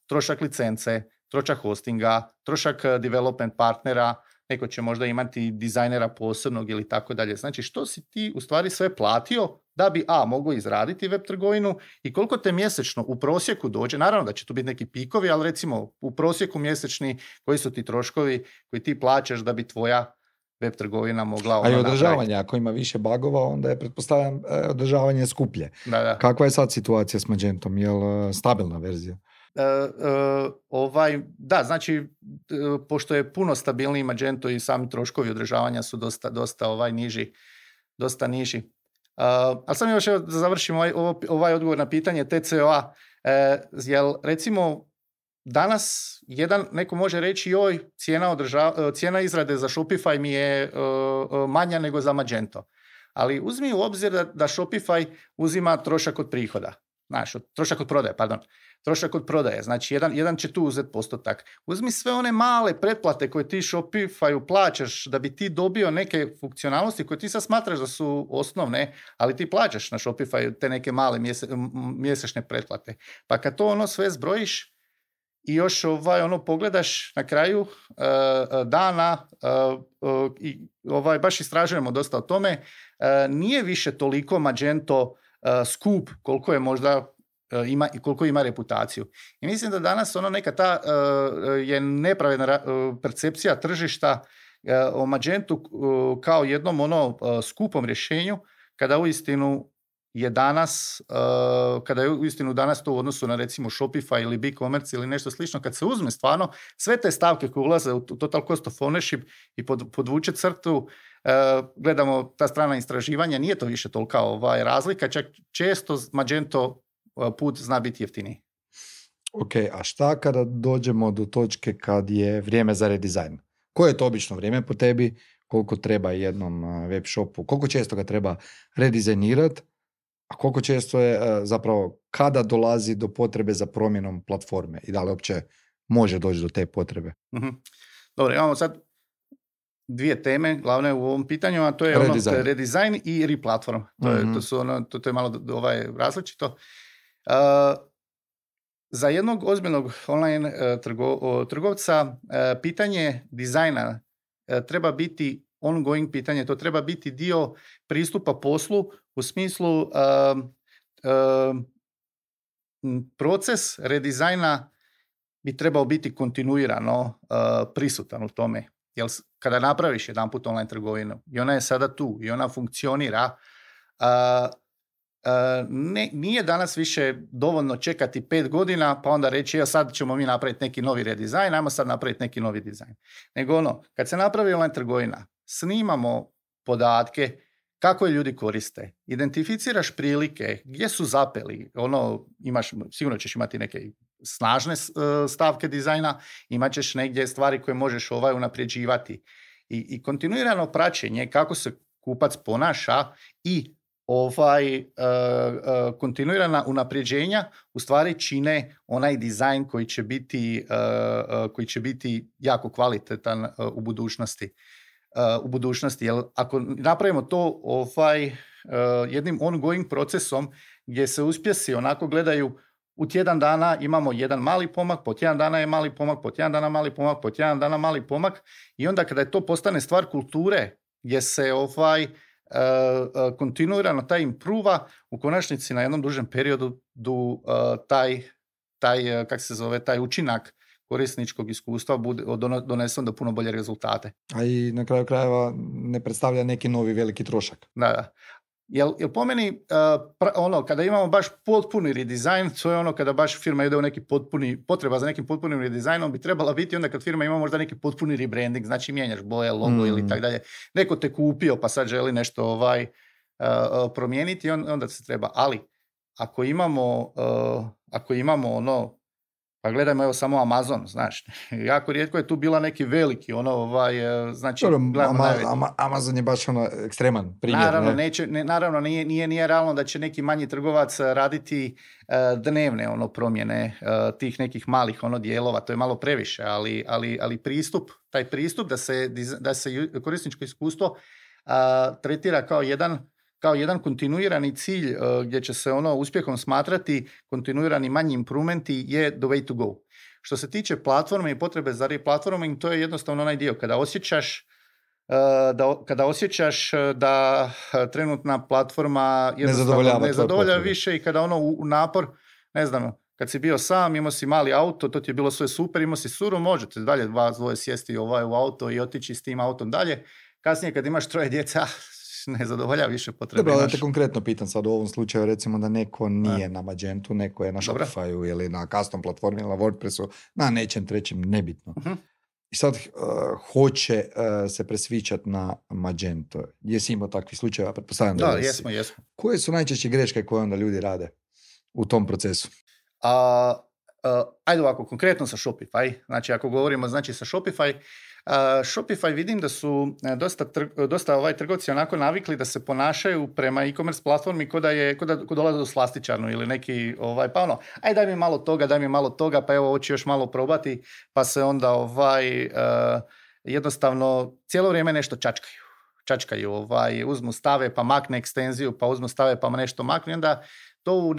[SPEAKER 2] trošak licence, trošak hostinga, trošak development partnera, neko će možda imati dizajnera posebnog ili tako dalje. Znači, što si ti u stvari sve platio da bi mogao izraditi web trgovinu i koliko te mjesečno u prosjeku dođe, naravno da će tu biti neki pikovi, ali recimo u prosjeku mjesečni koji su ti troškovi koji ti plaćaš da bi tvoja web trgovina mogla...
[SPEAKER 1] A i održavanje, ako ima više bagova, onda je, pretpostavljam, održavanje skuplje.
[SPEAKER 2] Da.
[SPEAKER 1] Kakva je sad situacija s Magentom? Je li stabilna verzija?
[SPEAKER 2] Da, znači, pošto je puno stabilniji Magento i sami troškovi održavanja su dosta niži. Ali sam još da završim ovaj odgovor na pitanje TCO-a. Jel, recimo, danas neko može reći cijena izrade za Shopify mi je manja nego za Magento. Ali uzmi u obzir da Shopify uzima trošak od prihoda. Trošak od prodaje. Znači, jedan će tu uzeti postotak. Uzmi sve one male pretplate koje ti Shopifyu plaćaš da bi ti dobio neke funkcionalnosti koje ti sad smatraš da su osnovne, ali ti plaćaš na Shopifyu te neke male mjesečne pretplate. Pa kad to sve zbrojiš i još pogledaš na kraju dana i baš istražujemo dosta o tome, nije više toliko Magento skup koliko je možda koliko ima reputaciju. I mislim da danas neka ta je nepravedna percepcija tržišta o Magentu kao jednom skupom rješenju, kada uistinu je danas, kada je uistinu danas to u odnosu na recimo Shopify ili BigCommerce ili nešto slično, kad se uzme stvarno sve te stavke koje ulaze u total cost of ownership i podvuče crtu, gledamo ta strana istraživanja, nije to više tolika razlika, čak često Magento put zna biti jeftiniji.
[SPEAKER 1] Ok, a šta kada dođemo do točke kad je vrijeme za redizajn? Koje je to obično vrijeme po tebi? Koliko treba jednom web shopu? Koliko često ga treba redizajnirati? A koliko često je zapravo kada dolazi do potrebe za promjenom platforme? I da li uopće može doći do te potrebe?
[SPEAKER 2] Mm-hmm. Dobro, imamo sad dvije teme glavne u ovom pitanju, a to je redizajn i replatform. To je malo različito. Za jednog ozbiljnog online trgovca pitanje dizajna treba biti ongoing pitanje, to treba biti dio pristupa poslu u smislu proces redizajna bi trebao biti kontinuirano prisutan u tome. Jer kada napraviš jedanput online trgovinu i ona je sada tu i ona funkcionira, nije danas više dovoljno čekati 5 godina pa onda reći sad ćemo mi napraviti neki novi redizajn, ajmo sad napraviti neki novi dizajn. Nego kad se napravi online trgovina, snimamo podatke kako je ljudi koriste, identificiraš prilike, gdje su zapeli, sigurno ćeš imati neke snažne stavke dizajna, imat ćeš negdje stvari koje možeš unapređivati i kontinuirano praćenje kako se kupac ponaša i kontinuirana unapređenja u stvari čine onaj dizajn koji će biti jako kvalitetan u budućnosti. Jer ako napravimo to jednim ongoing procesom gdje se uspjesi onako gledaju u tjedan dana imamo jedan mali pomak, po tjedan dana je mali pomak, po tjedan dana mali pomak, po tjedan dana mali pomak i onda kada je to postane stvar kulture gdje se kontinuirano taj impruva u konačnici na jednom dužem periodu taj učinak korisničkog iskustva bude donesen do puno bolje rezultate.
[SPEAKER 1] A i na kraju krajeva ne predstavlja neki novi veliki trošak.
[SPEAKER 2] Da. Jel po meni kada imamo baš potpuni redizajn, to je kada baš firma ide u neki potreba za nekim potpunim redizajnom bi trebala biti onda kad firma ima možda neki potpuni rebranding, znači mijenjaš boje, logo ili tak dalje. Neko te kupio pa sad želi nešto promijeniti, onda se treba. Ali ako imamo pa gledajmo evo samo Amazon, znaš, jako rijetko je tu bila neki veliki, znači...
[SPEAKER 1] Amazon je baš ekstreman primjer.
[SPEAKER 2] Naravno, nije realno da će neki manji trgovac raditi dnevne promjene tih nekih malih dijelova, to je malo previše, ali taj pristup da se korisničko iskustvo tretira kao jedan kontinuirani cilj gdje će se uspjehom smatrati kontinuirani manji improvementi je the way to go. Što se tiče platforme i potrebe za replatforming, to je jednostavno onaj dio kada osjećaš da trenutna platforma ne zadovoljava više i kada u napor, ne znam, kad si bio sam, imao si mali auto, to ti je bilo sve super, imao si suru, možete dalje dvoje sjesti u auto i otići s tim autom dalje. Kasnije kad imaš 3 djece, ne zadovolja više potrebe.
[SPEAKER 1] Dobro, da te konkretno pitam sad u ovom slučaju, recimo da neko nije na Magentu, neko je na Shopifyu ili na custom platformi ili na WordPressu, na nečem trećem, nebitno. Uh-huh. I sad hoće se presvičati na Magento. Jesi imao takvih slučajeva? Pretpostavljam da
[SPEAKER 2] jesmo.
[SPEAKER 1] Koje su najčešće greške koje onda ljudi rade u tom procesu?
[SPEAKER 2] Ajde ovako, konkretno sa Shopify. Znači, ako govorimo sa Shopify, Shopify vidim da su dosta trgovci onako navikli da se ponašaju prema e-commerce platformi ko dolaze u slastičarnu ili neki aj daj mi malo toga, pa evo hoću još malo probati, pa se onda jednostavno cijelo vrijeme nešto čačkaju, uzmu stave pa makne ekstenziju, pa uzmu stave pa nešto makne, onda to u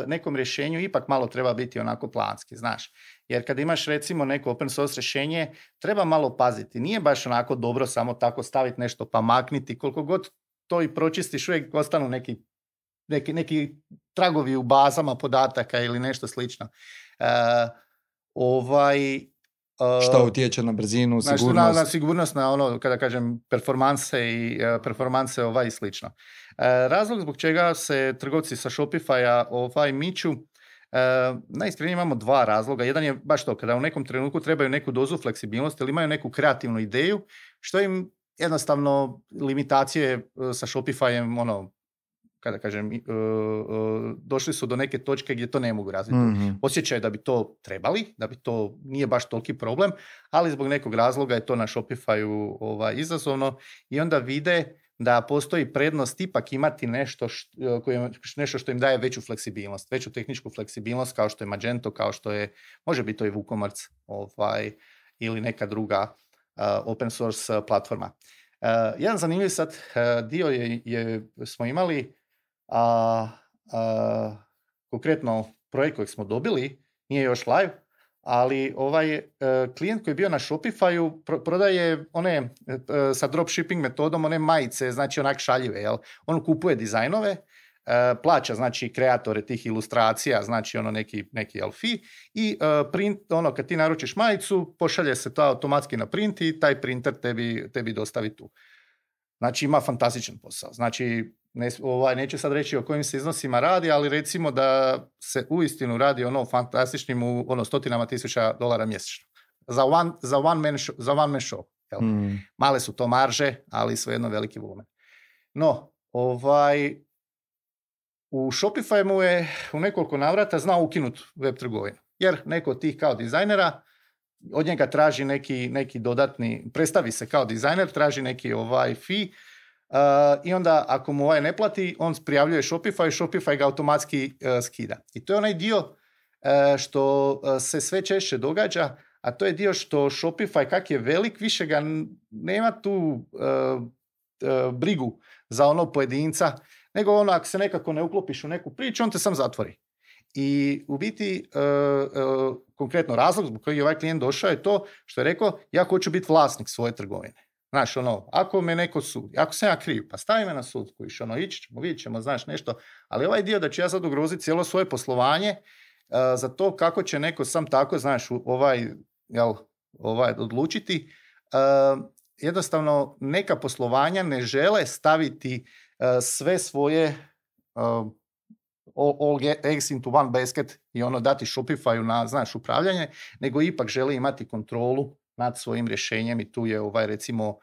[SPEAKER 2] nekom rješenju ipak malo treba biti onako planski, znaš. Jer kad imaš recimo neko open source rješenje, treba malo paziti. Nije baš onako dobro samo tako staviti nešto pa makniti. Koliko god to i pročistiš, uvijek ostanu neki tragovi u bazama podataka ili nešto slično.
[SPEAKER 1] Šta utječe na brzinu,
[SPEAKER 2] znači,
[SPEAKER 1] sigurnost?
[SPEAKER 2] Na sigurnost, na ono, kada kažem, performanse i slično. Razlog zbog čega se trgovci sa Shopify-a miču, najiskrenije imamo dva razloga. Jedan je baš to, kada u nekom trenutku trebaju neku dozu fleksibilnosti ili imaju neku kreativnu ideju, što im jednostavno limitacije sa Shopify-em, ono, kada kažem, došli su do neke točke gdje to ne mogu razviti.
[SPEAKER 1] Mm-hmm.
[SPEAKER 2] Osjećaju da bi to trebali, da bi to nije baš toliki problem, ali zbog nekog razloga je to na Shopify-u izazovno i onda vide da postoji prednost ipak imati nešto što im daje veću fleksibilnost, veću tehničku fleksibilnost kao što je Magento, kao što je, može biti to i WooCommerce ili neka druga open source platforma. Jedan zanimljiv sad dio smo imali konkretno projekt kojeg smo dobili, nije još live, ali klijent koji je bio na Shopify-u prodaje one sa dropshipping metodom, one majice, znači onak šaljive, jel? On kupuje dizajnove, plaća znači kreatore tih ilustracija, znači ono neki fee i print, ono kad ti naručiš majicu, pošalje se to automatski na print i taj printer tebi dostavi tu. Znači ima fantastičan posao. Znači neću sad reći o kojim se iznosima radi, ali recimo da se uistinu radi ono fantastičnim u stotinama $1,000 mjesečno. Za one man show. Jel? Male su to marže, ali svejedno veliki volumen. No, u Shopify mu je u nekoliko navrata znao ukinuti web trgovinu. Jer neko od tih kao dizajnera od njega traži neki dodatni, predstavi se kao dizajner, traži neki fee i onda ako mu ne plati, on prijavljuje Shopify ga automatski skida. I to je onaj dio što se sve češće događa, a to je dio što Shopify, kak je velik, više ga nema tu brigu za ono pojedinca, nego ono ako se nekako ne uklopiš u neku priču, on te sam zatvori. I u biti, konkretno razlog zbog kojeg je ovaj klijent došao je to što je rekao, ja hoću biti vlasnik svoje trgovine. Znaš, ako me neko sudi, ako sam ja kriv, pa stavi me na sud, kojiš, ići ćemo, vidjet ćemo, znaš, nešto. Ali ovaj dio da ću ja sad ugroziti cijelo svoje poslovanje za to kako će neko sam tako, znaš, odlučiti, jednostavno neka poslovanja ne žele staviti sve svoje all eggs into one basket i dati Shopify-u na, znaš, upravljanje, nego ipak žele imati kontrolu nad svojim rješenjem i tu je recimo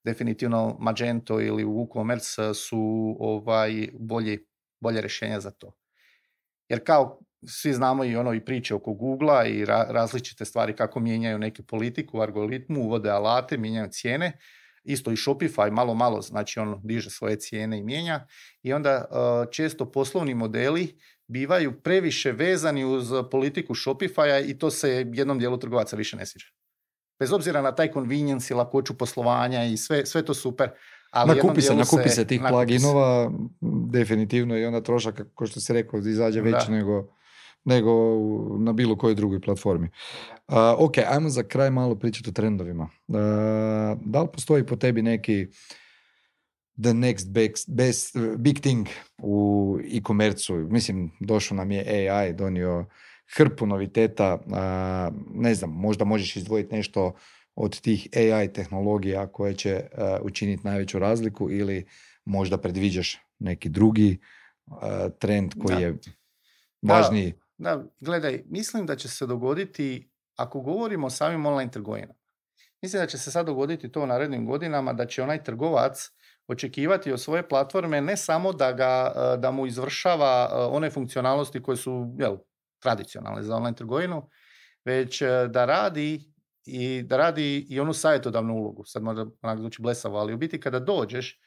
[SPEAKER 2] definitivno Magento ili WooCommerce su bolje rješenja za to. Jer kao svi znamo i priče oko Googlea i različite stvari kako mijenjaju neku politiku, algoritmu, uvode alate, mijenjaju cijene. Isto i Shopify malo, znači on diže svoje cijene i mijenja i onda često poslovni modeli bivaju previše vezani uz politiku Shopify-a i to se jednom dijelu trgovaca više ne sviđa. Bez obzira na taj convenience i lakoću poslovanja i sve to super. Ali
[SPEAKER 1] nakupi se tih pluginova definitivno i onda trošak, kao što si rekao, izađe veći nego na bilo kojoj drugoj platformi. Ok, ajmo za kraj malo pričati o trendovima. Da li postoji po tebi neki the next best big thing u e-commerce-u? Mislim, došao nam je AI, donio hrpu noviteta. Ne znam, možda možeš izdvojiti nešto od tih AI tehnologija koje će učiniti najveću razliku ili možda predviđaš neki drugi trend koji je važniji?
[SPEAKER 2] Da, gledaj, mislim da će se dogoditi, ako govorimo o samim online trgovinama, mislim da će se sad dogoditi to u narednim godinama, da će onaj trgovac očekivati od svoje platforme ne samo da mu izvršava one funkcionalnosti koje su tradicionalne za online trgovinu, već da radi i onu savjetodavnu ulogu. Sad možda onak zvuči blesavo, ali u biti kada dođeš,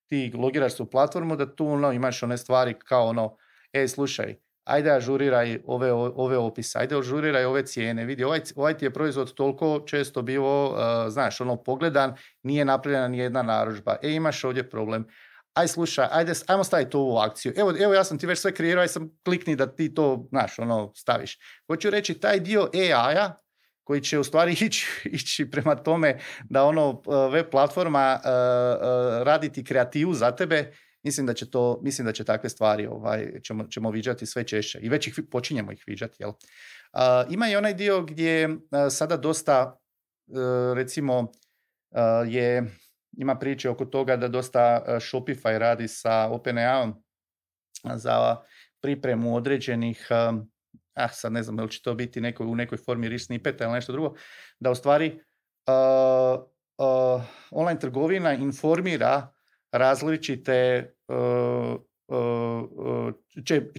[SPEAKER 2] ti logiraš se u platformu, da tu imaš one stvari kao slušaj, ajde ažuriraj ove opise, ajde ažuriraj ove cijene, vidi, ovaj ti je proizvod toliko često bio, znaš, pogledan, nije napravljena ni jedna narudžba, imaš ovdje problem, aj slušaj, ajmo staviti to u akciju, evo ja sam ti već sve kreirao, aj sam klikni da ti to, znaš, staviš. Hoću reći, taj dio AI-a, koji će u stvari ići prema tome da web platforma raditi kreativu za tebe, mislim da će takve stvari ćemo viđati sve češće i već počinjemo ih viđati, jel? Ima i onaj dio gdje sada dosta, recimo, ima priče oko toga da dosta Shopify radi sa OpenAI za pripremu određenih, sad ne znam da li će to biti u nekoj formi rich snippeta ili nešto drugo, da u stvari online trgovina informira različite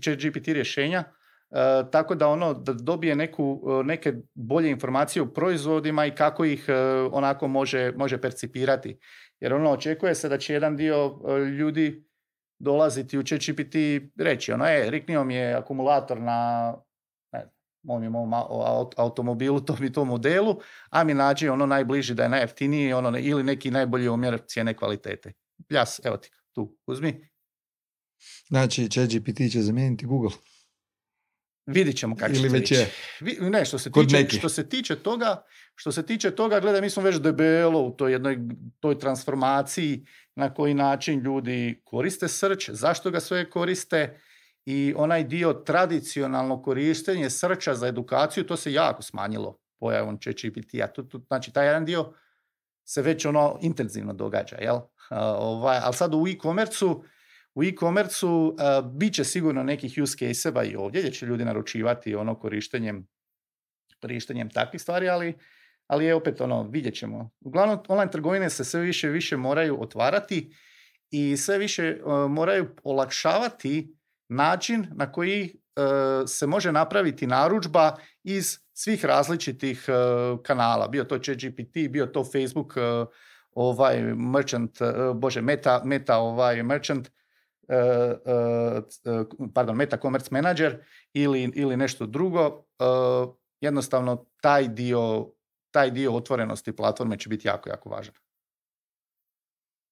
[SPEAKER 2] ChatGPT rješenja, tako da da dobije neke bolje informacije o proizvodima i kako ih onako može percipirati. Jer očekuje se da će jedan dio ljudi dolaziti u ChatGPT reći, riknio mi je akumulator na mom automobilu, tom modelu, a mi nađi najbliži da je najjeftiniji ili neki najbolji omjer cijene kvalitete. Pljas, evo ti, tu, uzmi.
[SPEAKER 1] Znači, ChatGPT će zamijeniti Google.
[SPEAKER 2] Vidit ćemo kako će
[SPEAKER 1] već je.
[SPEAKER 2] Ne, što se tiče toga, gledaj, mi smo već debelo u toj transformaciji na koji način ljudi koriste search, zašto ga sve koriste i onaj dio tradicionalno korištenje searcha za edukaciju, to se jako smanjilo pojavom ChatGPT-a. Znači, taj jedan dio se već intenzivno događa, jel? Ali sad u e-commerce-u bit će sigurno nekih use case-eva i ovdje, gdje će ljudi naručivati korištenjem takvih stvari, ali je opet vidjet ćemo. Uglavnom, online trgovine se sve više i više moraju otvarati i sve više moraju olakšavati način na koji se može napraviti narudžba iz svih različitih kanala. Bio to ChatGPT, bio to Facebook merchant, merchant, Meta Commerce Manager ili nešto drugo. Jednostavno taj dio otvorenosti platforme će biti jako, jako važan.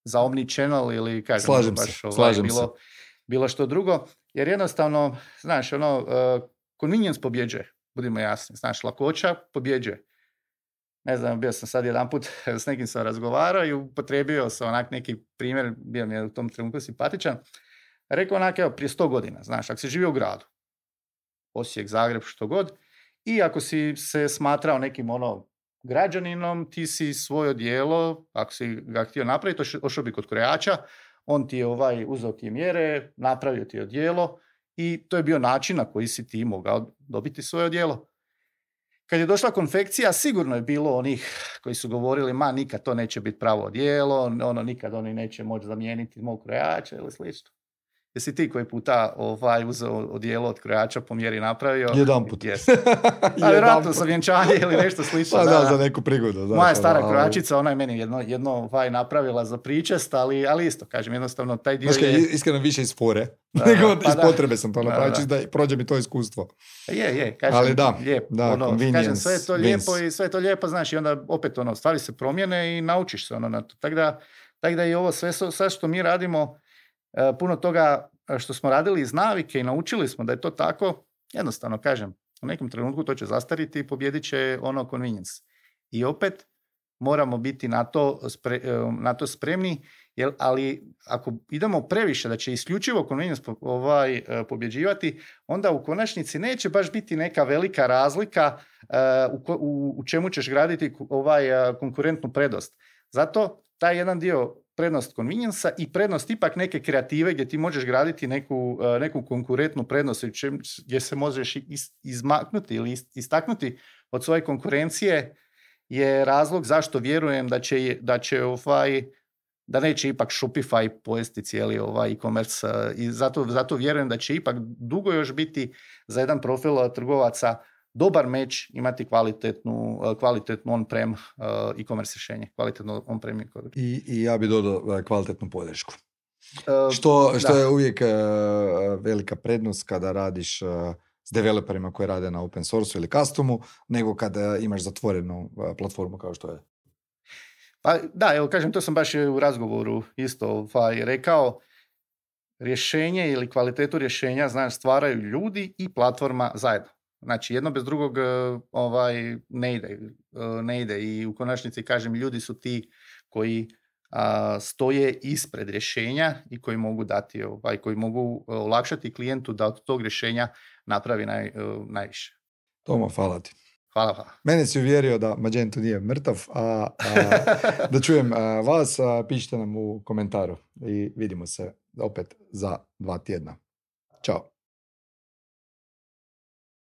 [SPEAKER 2] Za omnichannel ili
[SPEAKER 1] slažem se.
[SPEAKER 2] Bilo što drugo, jer jednostavno, znaš, convenience pobjeđuje, budimo jasni, znaš, lakoća pobjeđuje. Ne znam, bio sam sad jedanput, s nekim sam razgovarao i upotrijebio sam neki primjer, bio mi je u tom trenutku simpatičan. Rekao evo, prije 100 godina, znaš, ako si živio u gradu, Osijek, Zagreb, što god, i ako si se smatrao nekim građaninom, ti si svoje odijelo, ako si ga htio napraviti, ošao bi kod krojača, on ti je uzeo ti mjere, napravio ti odijelo i to je bio način na koji si ti mogao dobiti svoje odijelo. Kad je došla konfekcija, sigurno je bilo onih koji su govorili, nikad to neće biti pravo odijelo, nikad oni neće moći zamijeniti mog krojača ili slično. Jesi ti koji puta uzeo odijelo od krojača po mjeri napravio?
[SPEAKER 1] Jedanput.
[SPEAKER 2] A vjerojatno za vjenčanje ili nešto slično.
[SPEAKER 1] Pa da, za neku prigodu.
[SPEAKER 2] Moja stara krojačica, ona je meni jedno napravila za pričest, ali isto, kažem, jednostavno taj dio je...
[SPEAKER 1] Iskreno više iz fore, nego iz potrebe sam to napraviti, da prođe mi to iskustvo.
[SPEAKER 2] Je, kažem,
[SPEAKER 1] ali da,
[SPEAKER 2] lijepo. Kažem, sve je to lijepo i sve je to lijepo, znaš, i onda opet stvari se promijene i naučiš se na to. Tako da i ovo sve što mi radimo, puno toga što smo radili iz navike i naučili smo da je to tako, jednostavno kažem, u nekom trenutku to će zastariti i pobjedit će convenience. I opet moramo biti na to spremni, ali ako idemo previše da će isključivo convenience pobjeđivati, onda u konačnici neće baš biti neka velika razlika u čemu ćeš graditi konkurentnu prednost. Zato taj jedan dio prednost convenience-a i prednost ipak neke kreative gdje ti možeš graditi neku konkurentnu prednost gdje se možeš izmaknuti ili istaknuti od svoje konkurencije je razlog zašto vjerujem da neće ipak Shopify pojesti cijeli e-commerce i zato vjerujem da će ipak dugo još biti za jedan profil trgovaca dobar meč imati kvalitetnu on-prem e-commerce rješenje, kvalitetno on-prem
[SPEAKER 1] i ja bi dodao kvalitetnu podršku. Što je uvijek velika prednost kada radiš s developerima koji rade na open source ili customu, nego kada imaš zatvorenu platformu kao što je.
[SPEAKER 2] Pa da, evo kažem, to sam baš u razgovoru isto rekao, rješenje ili kvalitetu rješenja stvaraju ljudi i platforma zajedno. Znači, jedno bez drugog ne ide i u konačnici, kažem, ljudi su ti koji stoje ispred rješenja i koji mogu dati, koji mogu olakšati klijentu da od tog rješenja napravi najviše.
[SPEAKER 1] Tomo, hvala ti.
[SPEAKER 2] Hvala.
[SPEAKER 1] Mene si uvjerio da Magento nije mrtav, da čujem vas, pišite nam u komentaru i vidimo se opet za 2 tjedna. Ćao.